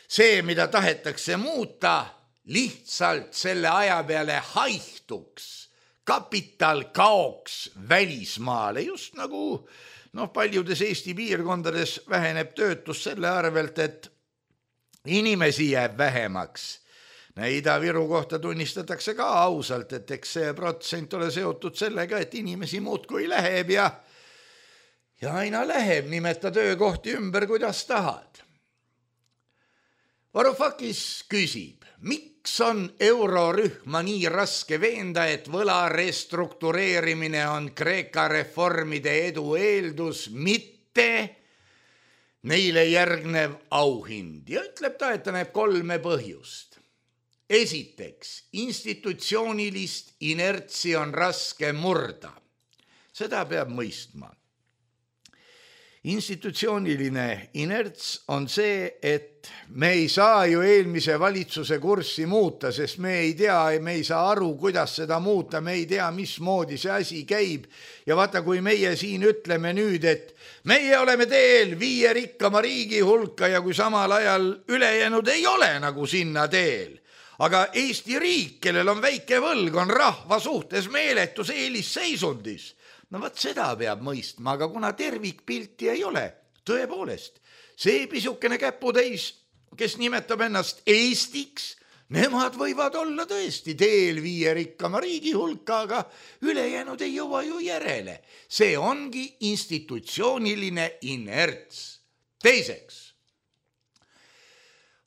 see, mida tahetakse muuta, lihtsalt selle aja peale haihtuks, kapital kaoks välismaale, just nagu noh, paljudes Eesti piirkondades väheneb töötus selle arvelt, et inimesi jääb vähemaks. Ida-Viru kohta tunnistatakse ka ausalt, et eks see protsent ole seotud sellega, et inimesi muudkui läheb ja, ja aina läheb, nimeta töökohti ümber, kuidas tahad. Varoufakis küsib, miks on eurorühma nii raske veenda, et võla restruktureerimine on Kreeka reformide edu eeldus, mitte neile järgnev auhind. Ja ütleb ta, et ta näeb kolme põhjust. Esiteks, institutsioonilist inertsi on raske murda. Seda peab mõistma. Institutsiooniline inerts on see, et me ei saa ju eelmise valitsuse kurssi muuta, sest me ei tea, me ei saa aru, kuidas seda muuta, me ei tea, mismoodi see asi käib. Ja vaata, kui meie siin ütleme nüüd, et meie oleme teel viie rikkama riigi hulka ja kui samal ajal ülejäänud ei ole nagu sinna teel. Aga Eesti riik, kellel on väike võlg, on rahva suhtes meeletus eelisseisundis. No võt seda peab mõistma, aga kuna tervikpilti ei ole, tõepoolest, see pisukene käputäis, kes nimetab ennast Eestiks, Nemad võivad olla tõesti teel viie rikkama riigi hulka, aga ülejäänud ei jõua ju järele. See ongi institutsiooniline inerts. Teiseks,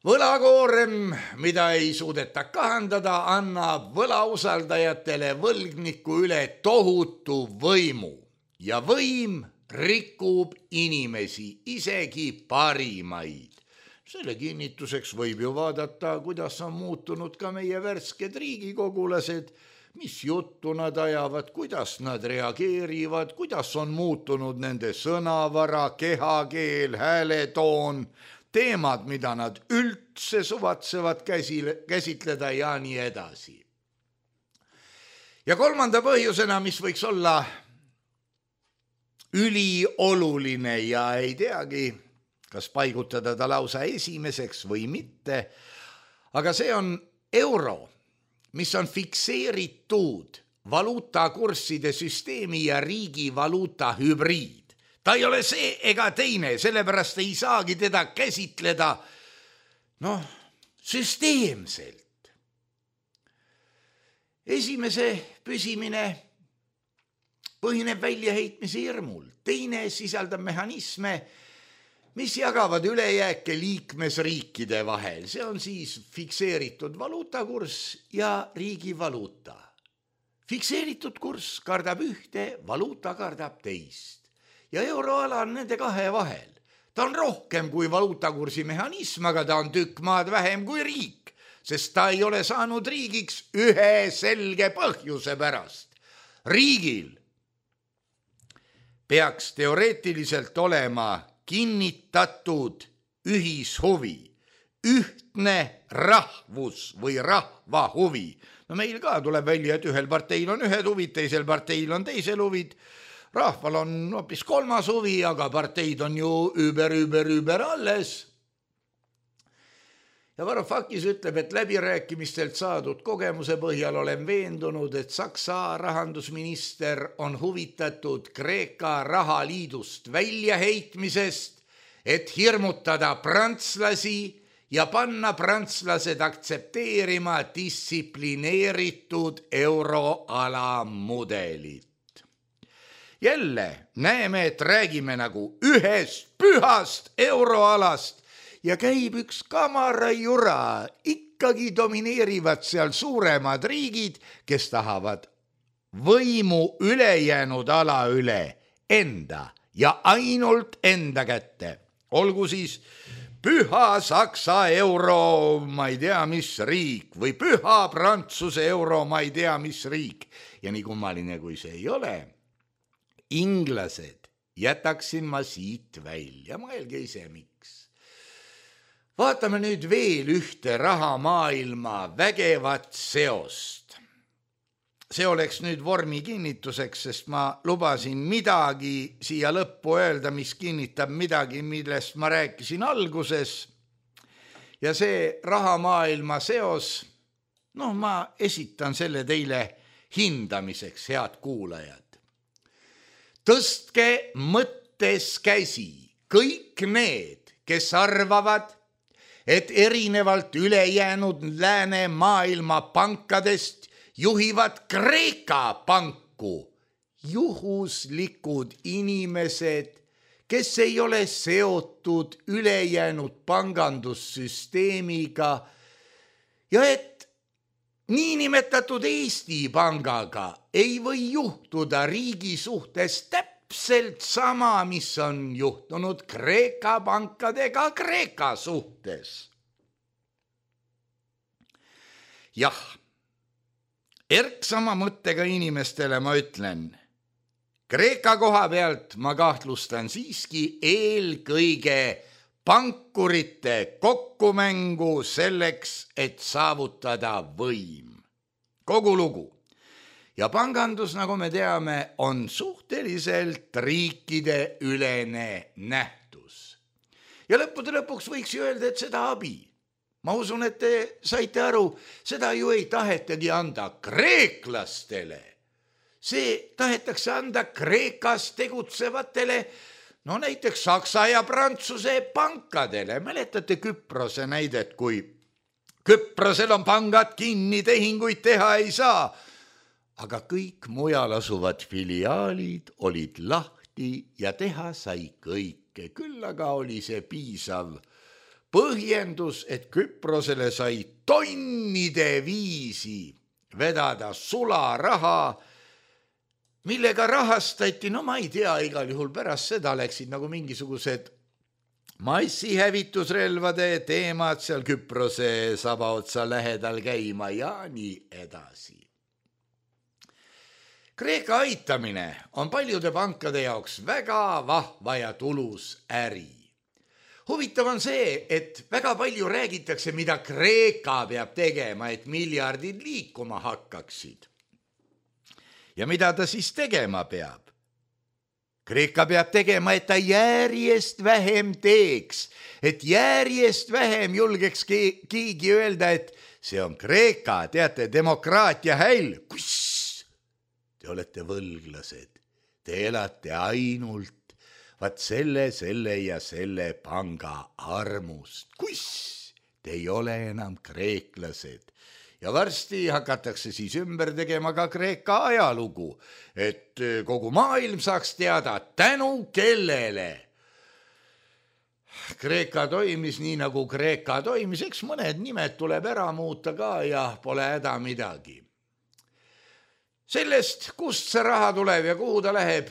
võlakoorem, mida ei suudeta kahandada, annab võlausaldajatele võlgniku üle tohutu võimu ja võim rikub inimesi, isegi parimaid. Selle kinnituseks võib ju vaadata, kuidas on muutunud ka meie värsked riigikogulased, mis juttu nad ajavad, kuidas nad reageerivad, kuidas on muutunud nende sõnavara, kehakeel, hääletoon, teemad, mida nad üldse suvatsevad käsile, käsitleda ja nii edasi. Ja kolmanda põhjusena, mis võiks olla ülioluline ja ei teagi, kas paigutada ta lausa esimeseks või mitte, aga see on euro, mis on fikseeritud valuutakursside süsteemi ja riigi valuuta hübriid. Ta ei ole see ega teine, sellepärast ei saagi teda käsitleda noh, süsteemselt. Esimese püsimine põhineb väljaheitmise hirmul, teine sisaldab mehhanisme, mis jagavad ülejääke liikmesriikide vahel. See on siis fikseeritud valuutakurss ja riigi valuuta. Fikseeritud kurss kardab ühte, valuuta kardab teist. Ja euroala on nende kahe vahel. Ta on rohkem kui valuutakursi mehhanism, aga ta on tükk maad vähem kui riik, sest ta ei ole saanud riigiks ühe selge põhjuse pärast. Riigil peaks teoreetiliselt olema kinnitatud ühishuvi, ühtne rahvus või rahva huvi. No meil ka tuleb välja, et ühel parteil on ühed huvid, teisel parteil on teisel huvid. Rahval on hoopis kolmas huvi, aga parteid on ju über, über, über alles. Ja Varoufakis ütleb, et läbirääkimistelt saadud kogemuse põhjal olen veendunud, et Saksa rahandusminister on huvitatud Kreeka rahaliidust väljaheitmisest, et hirmutada prantslasi ja panna prantslased aktsepteerima distsiplineeritud euroala mudelit. Jälle näeme, et räägime nagu ühest pühast euroalast, ja käib üks kamarajura, ikkagi domineerivad seal suuremad riigid, kes tahavad võimu ülejäänud ala üle enda ja ainult enda kätte. Olgu siis püha Saksa euro, ma ei tea mis riik, või püha Prantsuse euro, ma ei tea mis riik. Ja nii kummaline kui see ei ole, inglased jätaksin ma siit välja, mõelge ise miks. Vaatame nüüd veel ühte rahamaailma vägevat seost. See oleks nüüd vormi kinnituseks, sest ma lubasin midagi siia lõppu öelda, mis kinnitab midagi, millest ma rääkisin alguses. Ja see rahamaailma seos, noh, ma esitan selle teile hindamiseks, head kuulajad. Tõstke mõttes käsi kõik need, kes arvavad, et erinevalt ülejäänud lääne maailma pankadest juhivad Kreeka panku juhuslikud inimesed, kes ei ole seotud ülejäänud pangandussüsteemiga ja et niinimetatud Eesti pangaga ei või juhtuda riigi suhtes täpselt sama, mis on juhtunud Kreeka pankadega Kreeka suhtes. Jah, erksama mõttega inimestele ma ütlen, Kreeka koha pealt ma kahtlustan siiski eelkõige pankurite kokkumängu selleks, et saavutada võim. Kogu lugu. Ja pangandus, nagu me teame, on suhteliselt riikide ülene nähtus. Ja lõppude lõpuks võiks ju öelda, et seda abi. Ma usun, et te saite aru, seda ju ei tahetagi anda kreeklastele. See tahetakse anda Kreekas tegutsevatele, no näiteks Saksa ja Prantsuse pankadele. Mäletate Küprose näidet, kui Küprosel on pangad kinni, tehinguid teha ei saa. Aga kõik mujal asuvad filiaalid olid lahti ja teha sai kõike. Küll aga oli see piisav põhjendus, et Küprosele sai tonnide viisi vedada sularaha, millega rahastati, no ma ei tea, igal juhul pärast seda läksid nagu mingisugused massihävitusrelvade teemad seal Küprose sabaotsa lähedal käima ja nii edasi. Kreeka aitamine on paljude pankade jaoks väga vahva ja tulus äri. Huvitav on see, et väga palju räägitakse, mida Kreeka peab tegema, et miljardid liikuma hakkaksid. Ja mida ta siis tegema peab? Kreeka peab tegema, et ta järjest vähem teeks, et järjest vähem julgeks keegi öelda, et see on Kreeka, teate, demokraatia häll. Kus? Te olete võlglased, te elate ainult vaat selle, selle ja selle panga armust. Kus? Te ei ole enam kreeklased. Ja varsti hakatakse siis ümber tegema ka Kreeka ajalugu, et kogu maailm saaks teada, tänu kellele Kreeka toimis nii, nagu Kreeka toimis. Eks mõned nimed tuleb ära muuta ka ja pole häda midagi. Sellest, kust see raha tuleb ja kuhu ta läheb,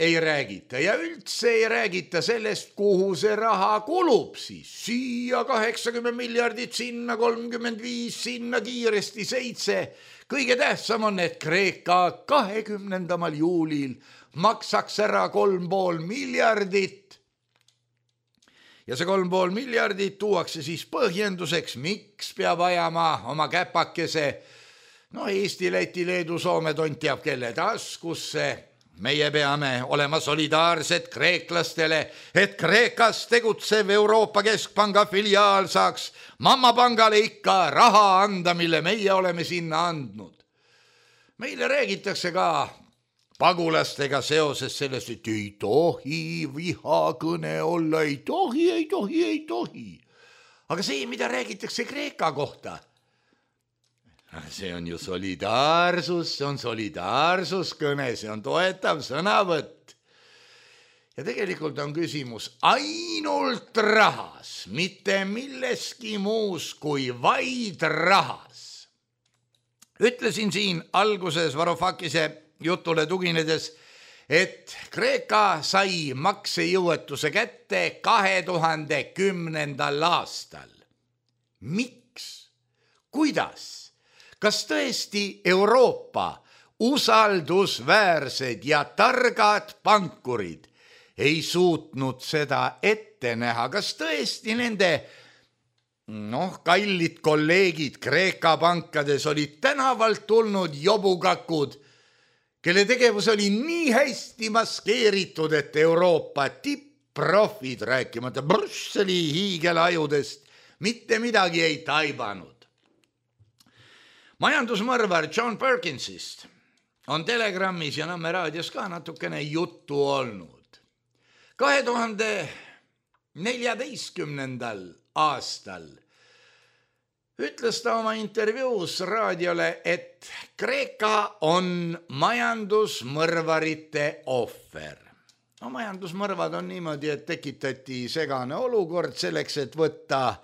ei räägita. Ja üldse ei räägita sellest, kuhu see raha kulub siis. Siia kaheksakümmend miljardit, sinna kolmkümmend viis, sinna kiiresti seitse. Kõige tähtsam on, et Kreeka kahekümnendamal juulil maksaks ära kolm pool miljardit. Ja see kolm pool miljardit tuuakse siis põhjenduseks, miks peab ajama oma käpakese no Eesti, Läti, Leedu, Soome, tont teab kelle taskusse. Meie peame olema solidaarsed kreeklastele, et Kreekas tegutsev Euroopa Keskpanga filiaal saaks mammapangale ikka raha anda, mille meie oleme sinna andnud. Meile räägitakse ka pagulastega seoses sellest, et ei tohi vihakõne olla, ei tohi, ei tohi, ei tohi. Aga see, mida räägitakse Kreeka kohta, see on ju solidaarsus, see on solidaarsuskõne, see on toetav sõnavõtt. Ja tegelikult on küsimus ainult rahas, mitte milleski muus kui vaid rahas. Ütlesin siin alguses Varoufakise jutule tuginedes, et Kreeka sai maksejõuetuse kätte kahe tuhande kümnendal aastal. Miks? Kuidas? Kas tõesti Euroopa usaldusväärsed ja targad pankurid ei suutnud seda ette näha? Kas tõesti nende noh, kallid kolleegid Kreeka pankades olid tänavalt tulnud jobukakud, kelle tegevus oli nii hästi maskeeritud, et Euroopa tipp-profid, rääkimata Brüsseli hiigelajudest, mitte midagi ei taibanud. Majandusmõrvar John Perkinsist on Telegrammis ja Nõmme raadios ka natukene juttu olnud. kahe tuhande neljateistkümnendal aastal ütles ta oma intervjuus raadiole, et Kreeka on majandusmõrvarite ohver. No, majandusmõrvad on niimoodi, et tekitati segane olukord selleks, et võtta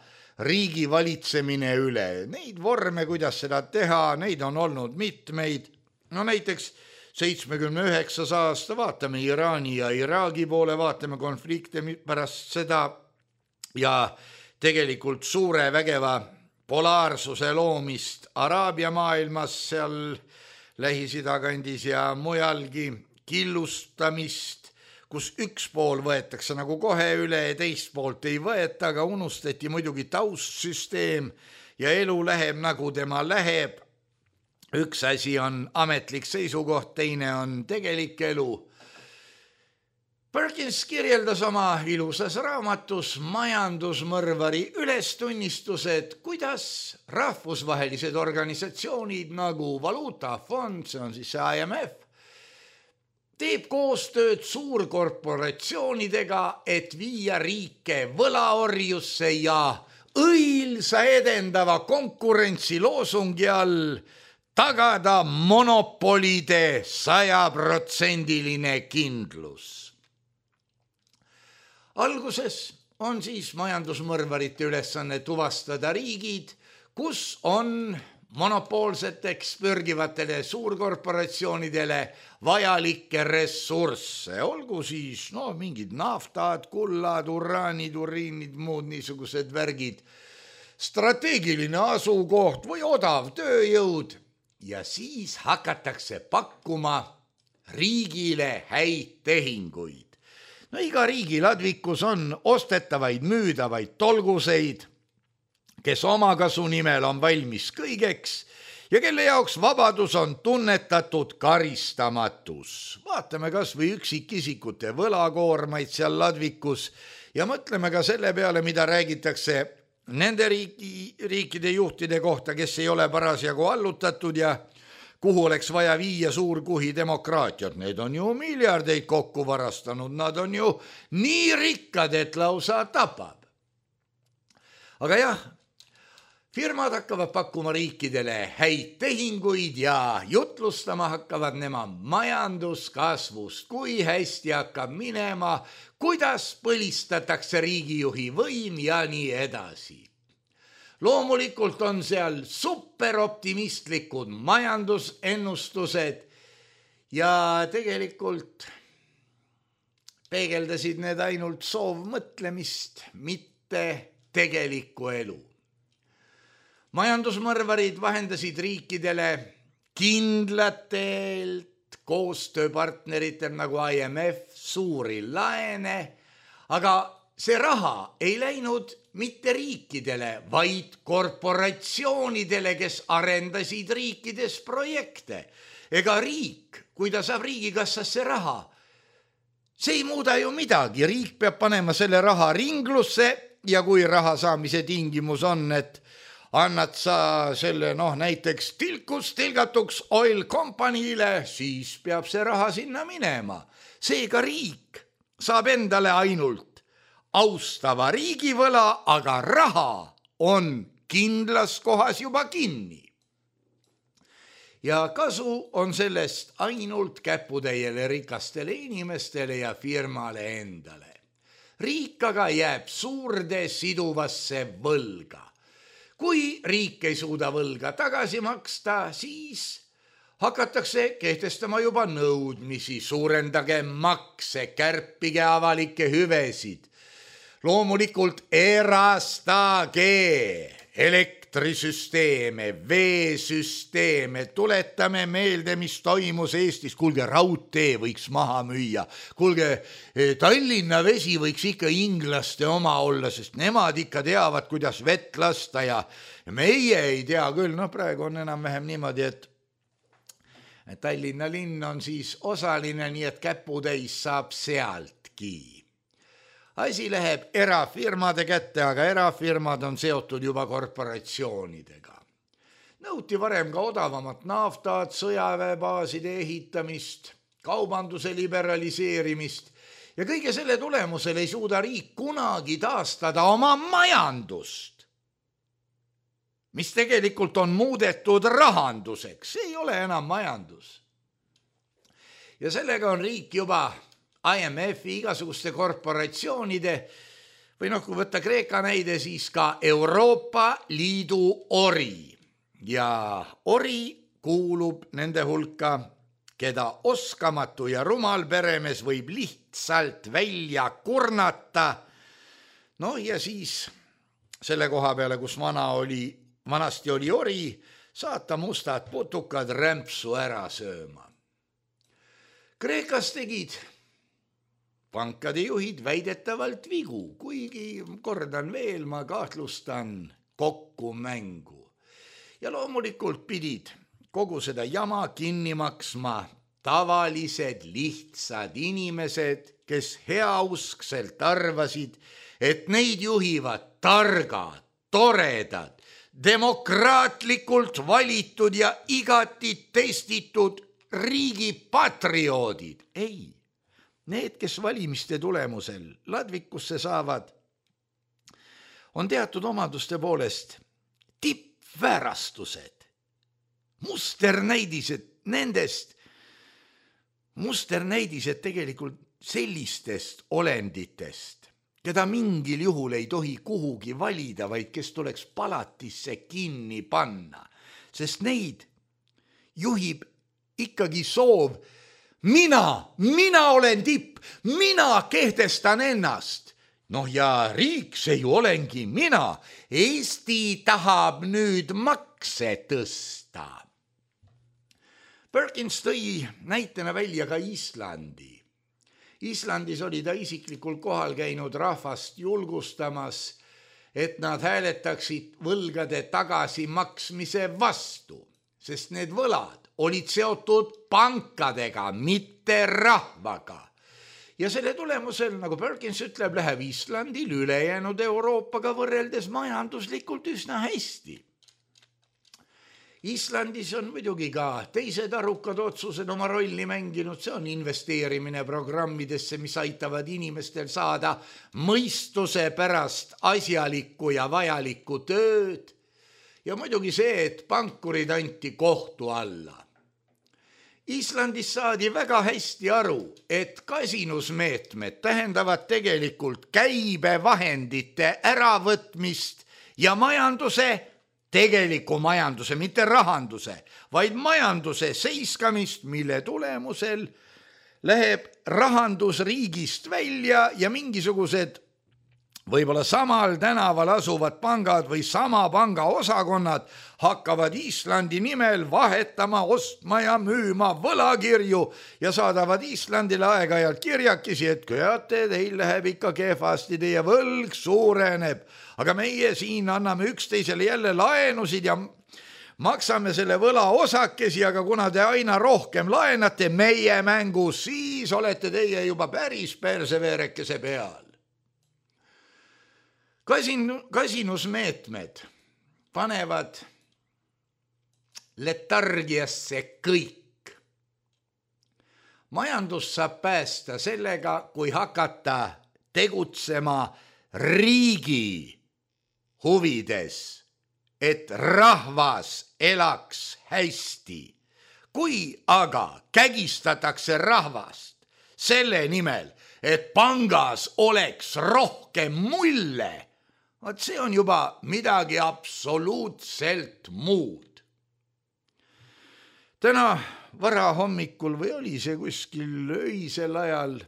riigi valitsemine üle. Neid vorme, kuidas seda teha, neid on olnud mitmeid. No näiteks seitsmekümne üheksas aasta vaatame Iraani ja Iraagi poole, vaatame konflikte pärast seda ja tegelikult suure vägeva polaarsuse loomist Araabia maailmas, seal Lähis-Ida kandis ja mujalgi, killustamist, kus üks pool võetakse nagu kohe üle ja teist poolt ei võeta, aga unustati muidugi taustsüsteem ja elu läheb nagu tema läheb. Üks asi on ametlik seisukoht, teine on tegelik elu. Perkins kirjeldas oma ilusas raamatus majandusmõrvari ülestunnistused, kuidas rahvusvahelised organisatsioonid nagu Valuutafond, see on siis I M F, teeb koostööd suurkorporatsioonidega, et viia riike võlaorjusse ja õilsa edendava konkurentsi loosungi all tagada monopolide sajaprotsendiline kindlus. Alguses on siis majandusmõrvarite ülesanne tuvastada riigid, kus on monopoolseteks pürgivatele suurkorporatsioonidele vajalikke ressursse, olgu siis no, mingid naftad, kullad, uraanid, uriinid, muud niisugused värgid, strateegiline asukoht või odav tööjõud ja siis hakatakse pakkuma riigile häid tehinguid. No iga riigi ladvikus on ostetavaid, müüdavaid tolguseid, kes omakasu nimel on valmis kõigeks ja kelle jaoks vabadus on tunnetatud karistamatus. Vaatame kas või üksikisikute võlakoormaid seal ladvikus ja mõtleme ka selle peale, mida räägitakse nende riiki, riikide juhtide kohta, kes ei ole parasjagu allutatud ja kuhu oleks vaja viia suurkuhi demokraatiat. Need on ju miljardeid kokku varastanud, nad on ju nii rikkad, et lausa tapab. Aga jah, firmad hakkavad pakkuma riikidele häid tehinguid ja jutlustama hakkavad nemad majanduskasvust, kui hästi hakkab minema, kuidas põlistatakse riigijuhi võim ja nii edasi. Loomulikult on seal superoptimistlikud majandusennustused ja tegelikult peegeldasid need ainult soovmõtlemist, mitte tegelikku elu. Majandusmõrvarid vahendasid riikidele kindlatelt koostööpartneritel nagu I M F suuri laene, aga see raha ei läinud mitte riikidele, vaid korporatsioonidele, kes arendasid riikides projekte. Ega riik, kui ta saab riigikassasse raha, see ei muuda ju midagi. Riik peab panema selle raha ringlusse ja kui raha saamise tingimus on, et annad sa selle noh, näiteks tilkus tilgatuks oil company'le, siis peab see raha sinna minema. Seega riik saab endale ainult austava riigivõla, aga raha on kindlas kohas juba kinni. Ja kasu on sellest ainult käputäiele rikastele inimestele ja firmale endale. Riik aga jääb suurde siduvasse võlga. Kui riik ei suuda võlga tagasi maksta, siis hakatakse kehtestama juba nõudmisi, suurendage makse, kärpige avalikke hüvesid. Loomulikult erastage elektrisüsteeme, veesüsteeme, tuletame meelde, mis toimus Eestis. Kuulge, raudtee võiks maha müüa. Kuulge, Tallinna vesi võiks ikka inglaste oma olla, sest nemad ikka teavad, kuidas vett lasta ja meie ei tea küll. No praegu on enam-vähem niimoodi, et Tallinna linn on siis osaline, nii et käputäis saab sealtki. Asi läheb erafirmade kätte, aga erafirmad on seotud juba korporatsioonidega. Nõuti varem ka odavamat naftat, sõjaväebaaside ehitamist, kaubanduse liberaliseerimist ja kõige selle tulemusel ei suuda riik kunagi taastada oma majandust, mis tegelikult on muudetud rahanduseks. See ei ole enam majandus. Ja sellega on riik juba I M F-i igasuguste korporatsioonide või noh, kui võtta Kreeka näide, siis ka Euroopa Liidu ori. Ja ori kuulub nende hulka, keda oskamatu ja rumal peremees võib lihtsalt välja kurnata. No ja siis selle koha peale, kus vana oli, vanasti oli ori, saata mustad putukad rämpsu ära sööma. Kreekas tegid pankade juhid väidetavalt vigu, kuigi kordan veel, ma kahtlustan kokku mängu. Ja loomulikult pidid kogu seda jama kinni maksma tavalised lihtsad inimesed, kes heauskselt arvasid, et neid juhivad targad, toredad, demokraatlikult valitud ja igati testitud riigi patrioodid. Ei. Need, kes valimiste tulemusel ladvikusse saavad, on teatud omaduste poolest tippväärastused, musternäidised nendest, musternäidised tegelikult sellistest olenditest, keda mingil juhul ei tohi kuhugi valida, vaid kes tuleks palatisse kinni panna, sest neid juhib ikkagi soov, mina, mina olen tipp, mina kehtestan ennast. Noh ja riik, see ju olengi mina. Eesti tahab nüüd makse tõsta. Perkins tõi näitena välja ka Islandi. Islandis oli ta isiklikul kohal käinud rahvast julgustamas, et nad hääletaksid võlgade tagasimaksmise vastu, sest need võlad olid seotud pankadega, mitte rahvaga. Ja selle tulemusel, nagu Perkins ütleb, läheb Islandil ülejäänud Euroopaga võrreldes majanduslikult üsna hästi. Islandis on muidugi ka teised arukad otsused oma rolli mänginud, see on investeerimine programmidesse, mis aitavad inimestel saada mõistuse pärast asjalikku ja vajalikku tööd. Ja muidugi see, et pankurid anti kohtu alla. Islandis saadi väga hästi aru, et kasinusmeetmed tähendavad tegelikult käibevahendite äravõtmist ja majanduse tegeliku majanduse, mitte rahanduse, vaid majanduse seiskamist, mille tulemusel läheb rahandus riigist välja ja mingisugused võib-olla samal tänaval asuvad pangad või sama panga osakonnad hakkavad Islandi nimel vahetama, ostma ja müüma võlakirju ja saadavad Islandile aeg-ajalt kirjakesi, et teate, teil läheb ikka kehvasti, teie võlg suureneb, aga meie siin anname üksteisele jälle laenusid ja maksame selle võla osakesi, aga kuna te aina rohkem laenate meie mängus, siis olete teie juba päris perseveerekese peal. Kasin, kasinusmeetmed panevad letargiasse kõik. Majandus saab päästa sellega, kui hakata tegutsema riigi huvides, et rahvas elaks hästi. Kui aga kägistatakse rahvast selle nimel, et pangas oleks rohkem mulle, vaat see on juba midagi absoluutselt muud. Täna varahommikul või oli see kuskil öisel ajal,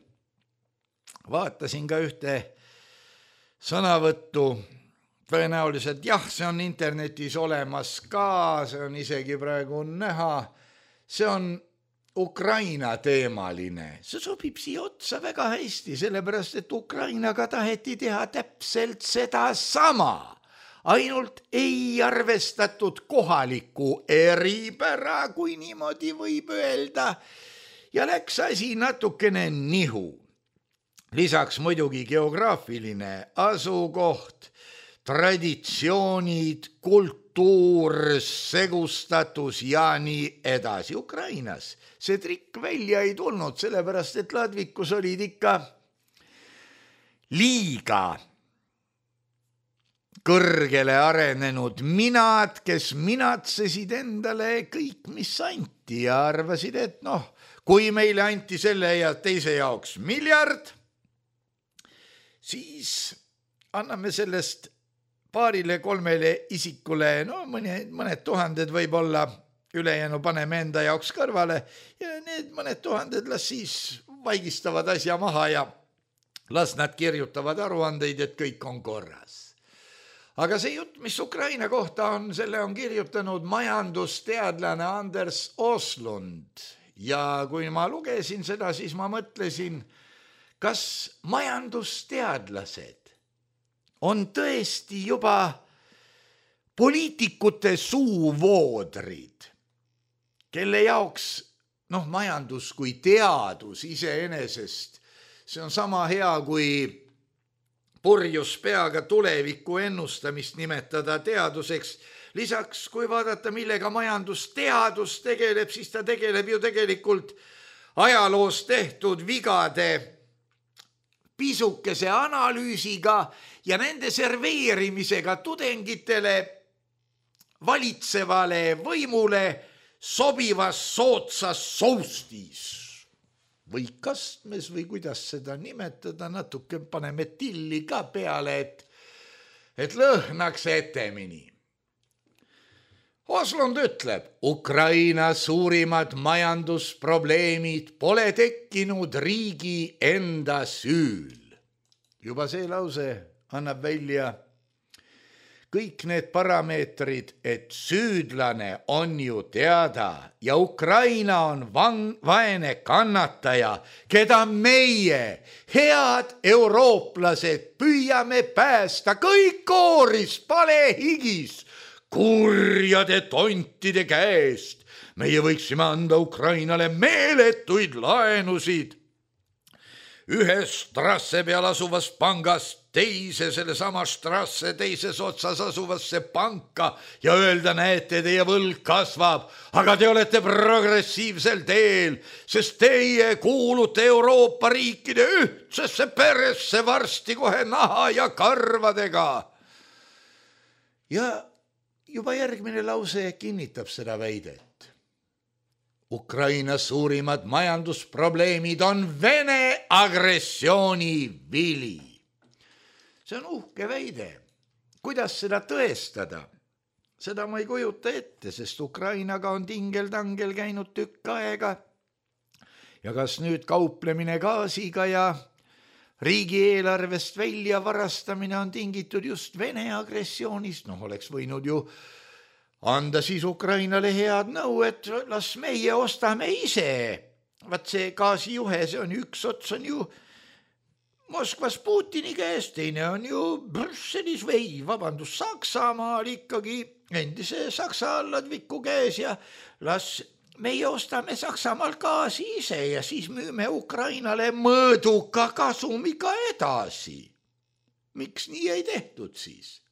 vaatasin ka ühte sõnavõttu, tõenäoliselt jah, see on internetis olemas ka, see on isegi praegu näha, see on Ukraina teemaline. See sobib siia otsa väga hästi, sellepärast, et Ukrainaga taheti teha täpselt seda sama. Ainult ei arvestatud kohaliku eripära, kui niimoodi võib öelda, ja läks asi natukene nihu. Lisaks muidugi geograafiline asukoht, traditsioonid, kultuur, segustatus ja nii edasi. Ukrainas see trikk välja ei tulnud, sellepärast et ladvikus olid ikka liiga kõrgele arenenud minad, kes minatsesid endale kõik, mis anti ja arvasid, et noh, kui meile anti selle ja teise jaoks miljard, siis anname sellest paarile kolmele isikule, no mõned, mõned tuhanded võib-olla, ülejäänu paneme enda jaoks kõrvale ja need mõned tuhanded las siis vaigistavad asja maha ja las nad kirjutavad aruandeid, et kõik on korras. Aga see jutt, mis Ukraina kohta on, selle on kirjutanud majandusteadlane Anders Oslund ja kui ma lugesin seda, siis ma mõtlesin, kas majandusteadlased on tõesti juba poliitikute suuvoodrid, kelle jaoks noh, majandus kui teadus iseenesest, see on sama hea kui purjus peaga tuleviku ennustamist nimetada teaduseks. Lisaks, kui vaadata, millega majandusteadus tegeleb, siis ta tegeleb ju tegelikult ajaloos tehtud vigade pisukese analüüsiga ja nende serveerimisega tudengitele valitsevale võimule sobivas sootsas soustis või kastmes või kuidas seda nimetada, natuke paneme tilli ka peale, et, et lõhnaks etemini. Oslund ütleb, Ukraina suurimad majandusprobleemid pole tekkinud riigi enda süül. Juba see lause annab välja kõik need parameetrid, et süüdlane on ju teada ja Ukraina on vang, vaene kannataja, keda meie, head eurooplased, püüame päästa kõik kooris, palehigis, kurjade tontide käest. Meie võiksime anda Ukrainale meeletuid laenusid. Ühes strasse peal asuvast pangast teise sellesama strasse teises otsas asuvasse panka ja öelda, näete, teie võlg kasvab, aga te olete progressiivsel teel, sest teie kuulute Euroopa riikide ühtsesse peresse varsti kohe naha ja karvadega. Ja juba järgmine lause kinnitab seda väidet. Ukraina suurimad majandusprobleemid on Vene agressiooni vili. See on uhke väide. Kuidas seda tõestada? Seda ma ei kujuta ette, sest Ukrainaga on tingel-tangel käinud tükk aega. Ja kas nüüd kauplemine gaasiga ja riigieelarvest välja varastamine on tingitud just Vene agressioonist? Noh, oleks võinud ju anda siis Ukrainale head nõu, et las meie ostame ise. Vaat see gaasijuhe, see on üks ots on ju Moskvas Putini käes, teine on ju Brüsselis või, vabandus, Saksamaal ikkagi endise Saksa alladviku käes ja las meie ostame Saksamaal gaasi ise ja siis müüme Ukrainale mõõduka kasumiga edasi. Miks nii ei tehtud siis?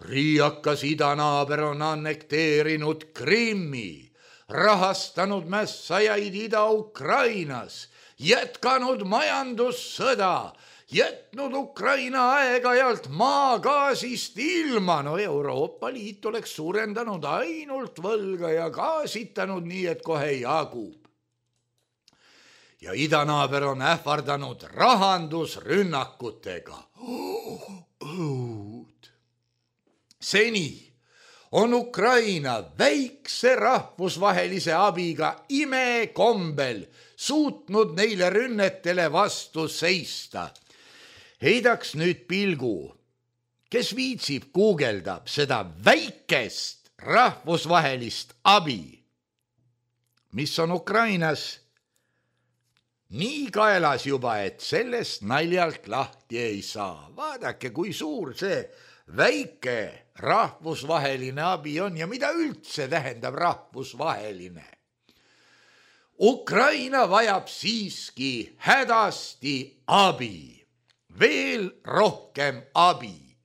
Riiakas idanaaber on annekteerinud Krimmi, rahastanud mässajaid Ida-Ukrainas, jätkanud majandussõda, jätnud Ukraina aeg-ajalt maagaasist ilma. No Euroopa Liit oleks suurendanud ainult võlga ja gaasitanud nii, et kohe jagub. Ja idanaaber on ähvardanud rahandusrünnakutega. Õud. Seni on Ukraina väikse rahvusvahelise abiga imekombel suutnud neile rünnetele vastu seista. Heidaks nüüd pilgu, kes viitsib guugeldab seda väikest rahvusvahelist abi, mis on Ukrainas nii kaelas juba, et sellest naljalt lahti ei saa. Vaadake, kui suur see väike rahvusvaheline abi on ja mida üldse tähendab rahvusvaheline. Ukraina vajab siiski hädasti abi, veel rohkem abi.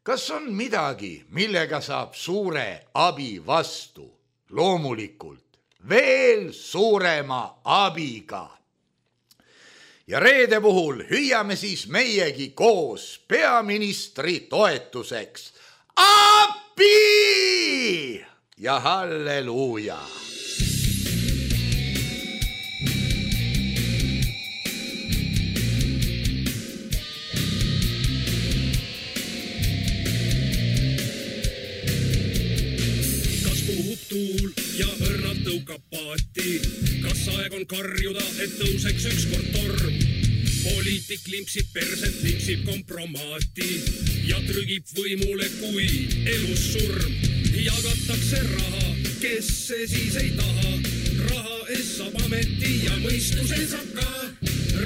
Kas on midagi, millega saab suure abi vastu? Loomulikult veel suurema abiga. Ja reede puhul hüüame siis meiegi koos peaministri toetuseks. Abi! Ja halleluuja! Kas puhub tuul ja õrnalt tõukab paati? Kas aeg on karjuda, et tõuseks ükskord torm? Poliitik limpsib perset, limpsib kompromaati ja trügib võimule, kui elus surm. Jagatakse raha, kes see siis ei taha. Raha ees saab ameti ja mõistuse saab ka.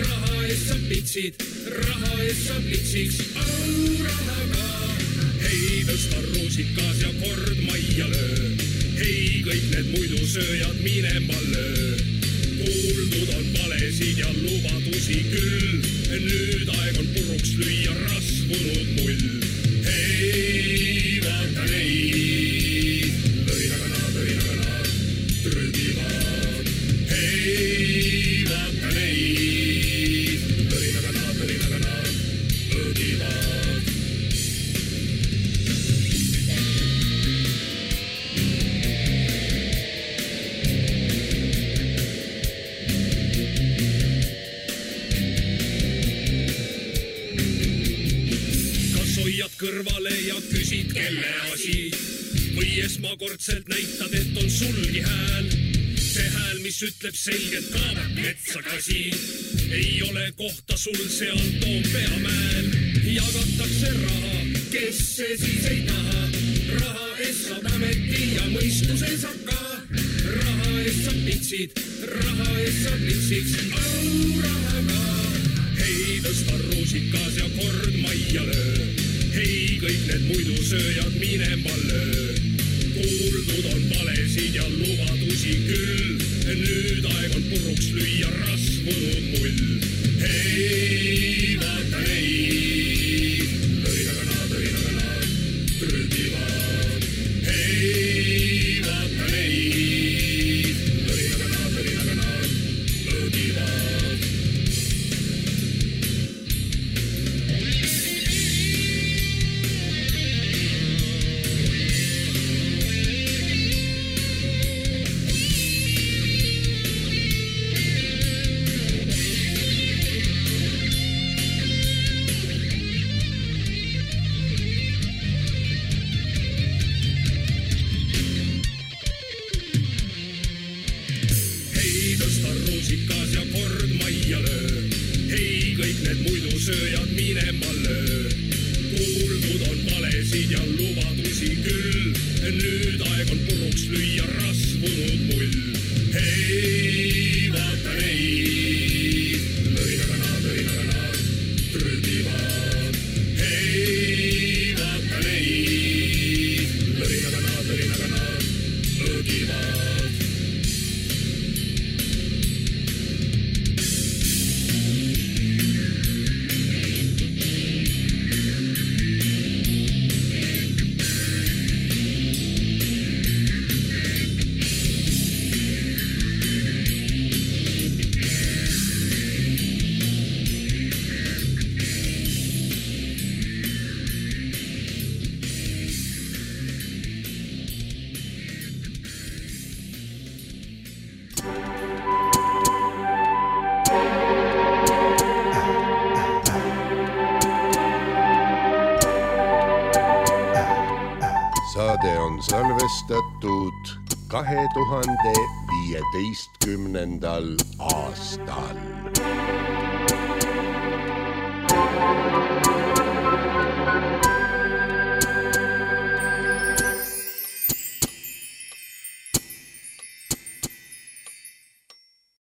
Raha ees saab pitsid, raha ees saab litsiks, au rahaga. Hei, tõsta ruusikas ja kord majja löö. Hei, kõik need muidu sööjad minema löö. Kuuldud on valesid ja lubadusi küll. Nüüd aeg on puruks lüüa rasvunud mull. Hei, vaata neid. Lõinagana, lõinagana, trügivad. Hei, vaata neid. Lõinagana, lõinagana, õgivad. kõrvale ja küsid, kelle asi. Või esmakordselt näitad, et on sulgi hääl. See hääl, mis ütleb selgelt kaavad metsakasi. Ei ole kohta sul seal Toompea mäel. Jagatakse raha, kes see siis ei taha. Raha eest saab ameti ja mõistuse saab ka. Raha eest saab pitsid, raha eest saab litsiks. Au rahaga. Hei, tõsta ruusikas ja kord majja löö. Hei, kõik need muidu sööjad minema löö. Kuuldud on valesid ja lubadusi küll. Nüüd aeg on puruks lüüa rasvunud mull. Hei, vaata neid. Lõinaga nad, lõinaga nad trügivad. Hei, vaata neid. Lõinaga nad, lõinaga nad lõgivad. Ruusikas ja kord majja löö. Hei, kõik need muidu sööjad minema löö. Kuuldud on valesid ja lubadusi küll. Nüüd aeg on puruks lüüa rasvunud mull. Hei, vaata neid. Lõinaga nad, lõinaga nad trügivad. Hei, vaata neid. Lõinaga nad, lõinaga nad lõgivad. Saade on salvestatud kahe tuhande viieteistkümnendal aastal.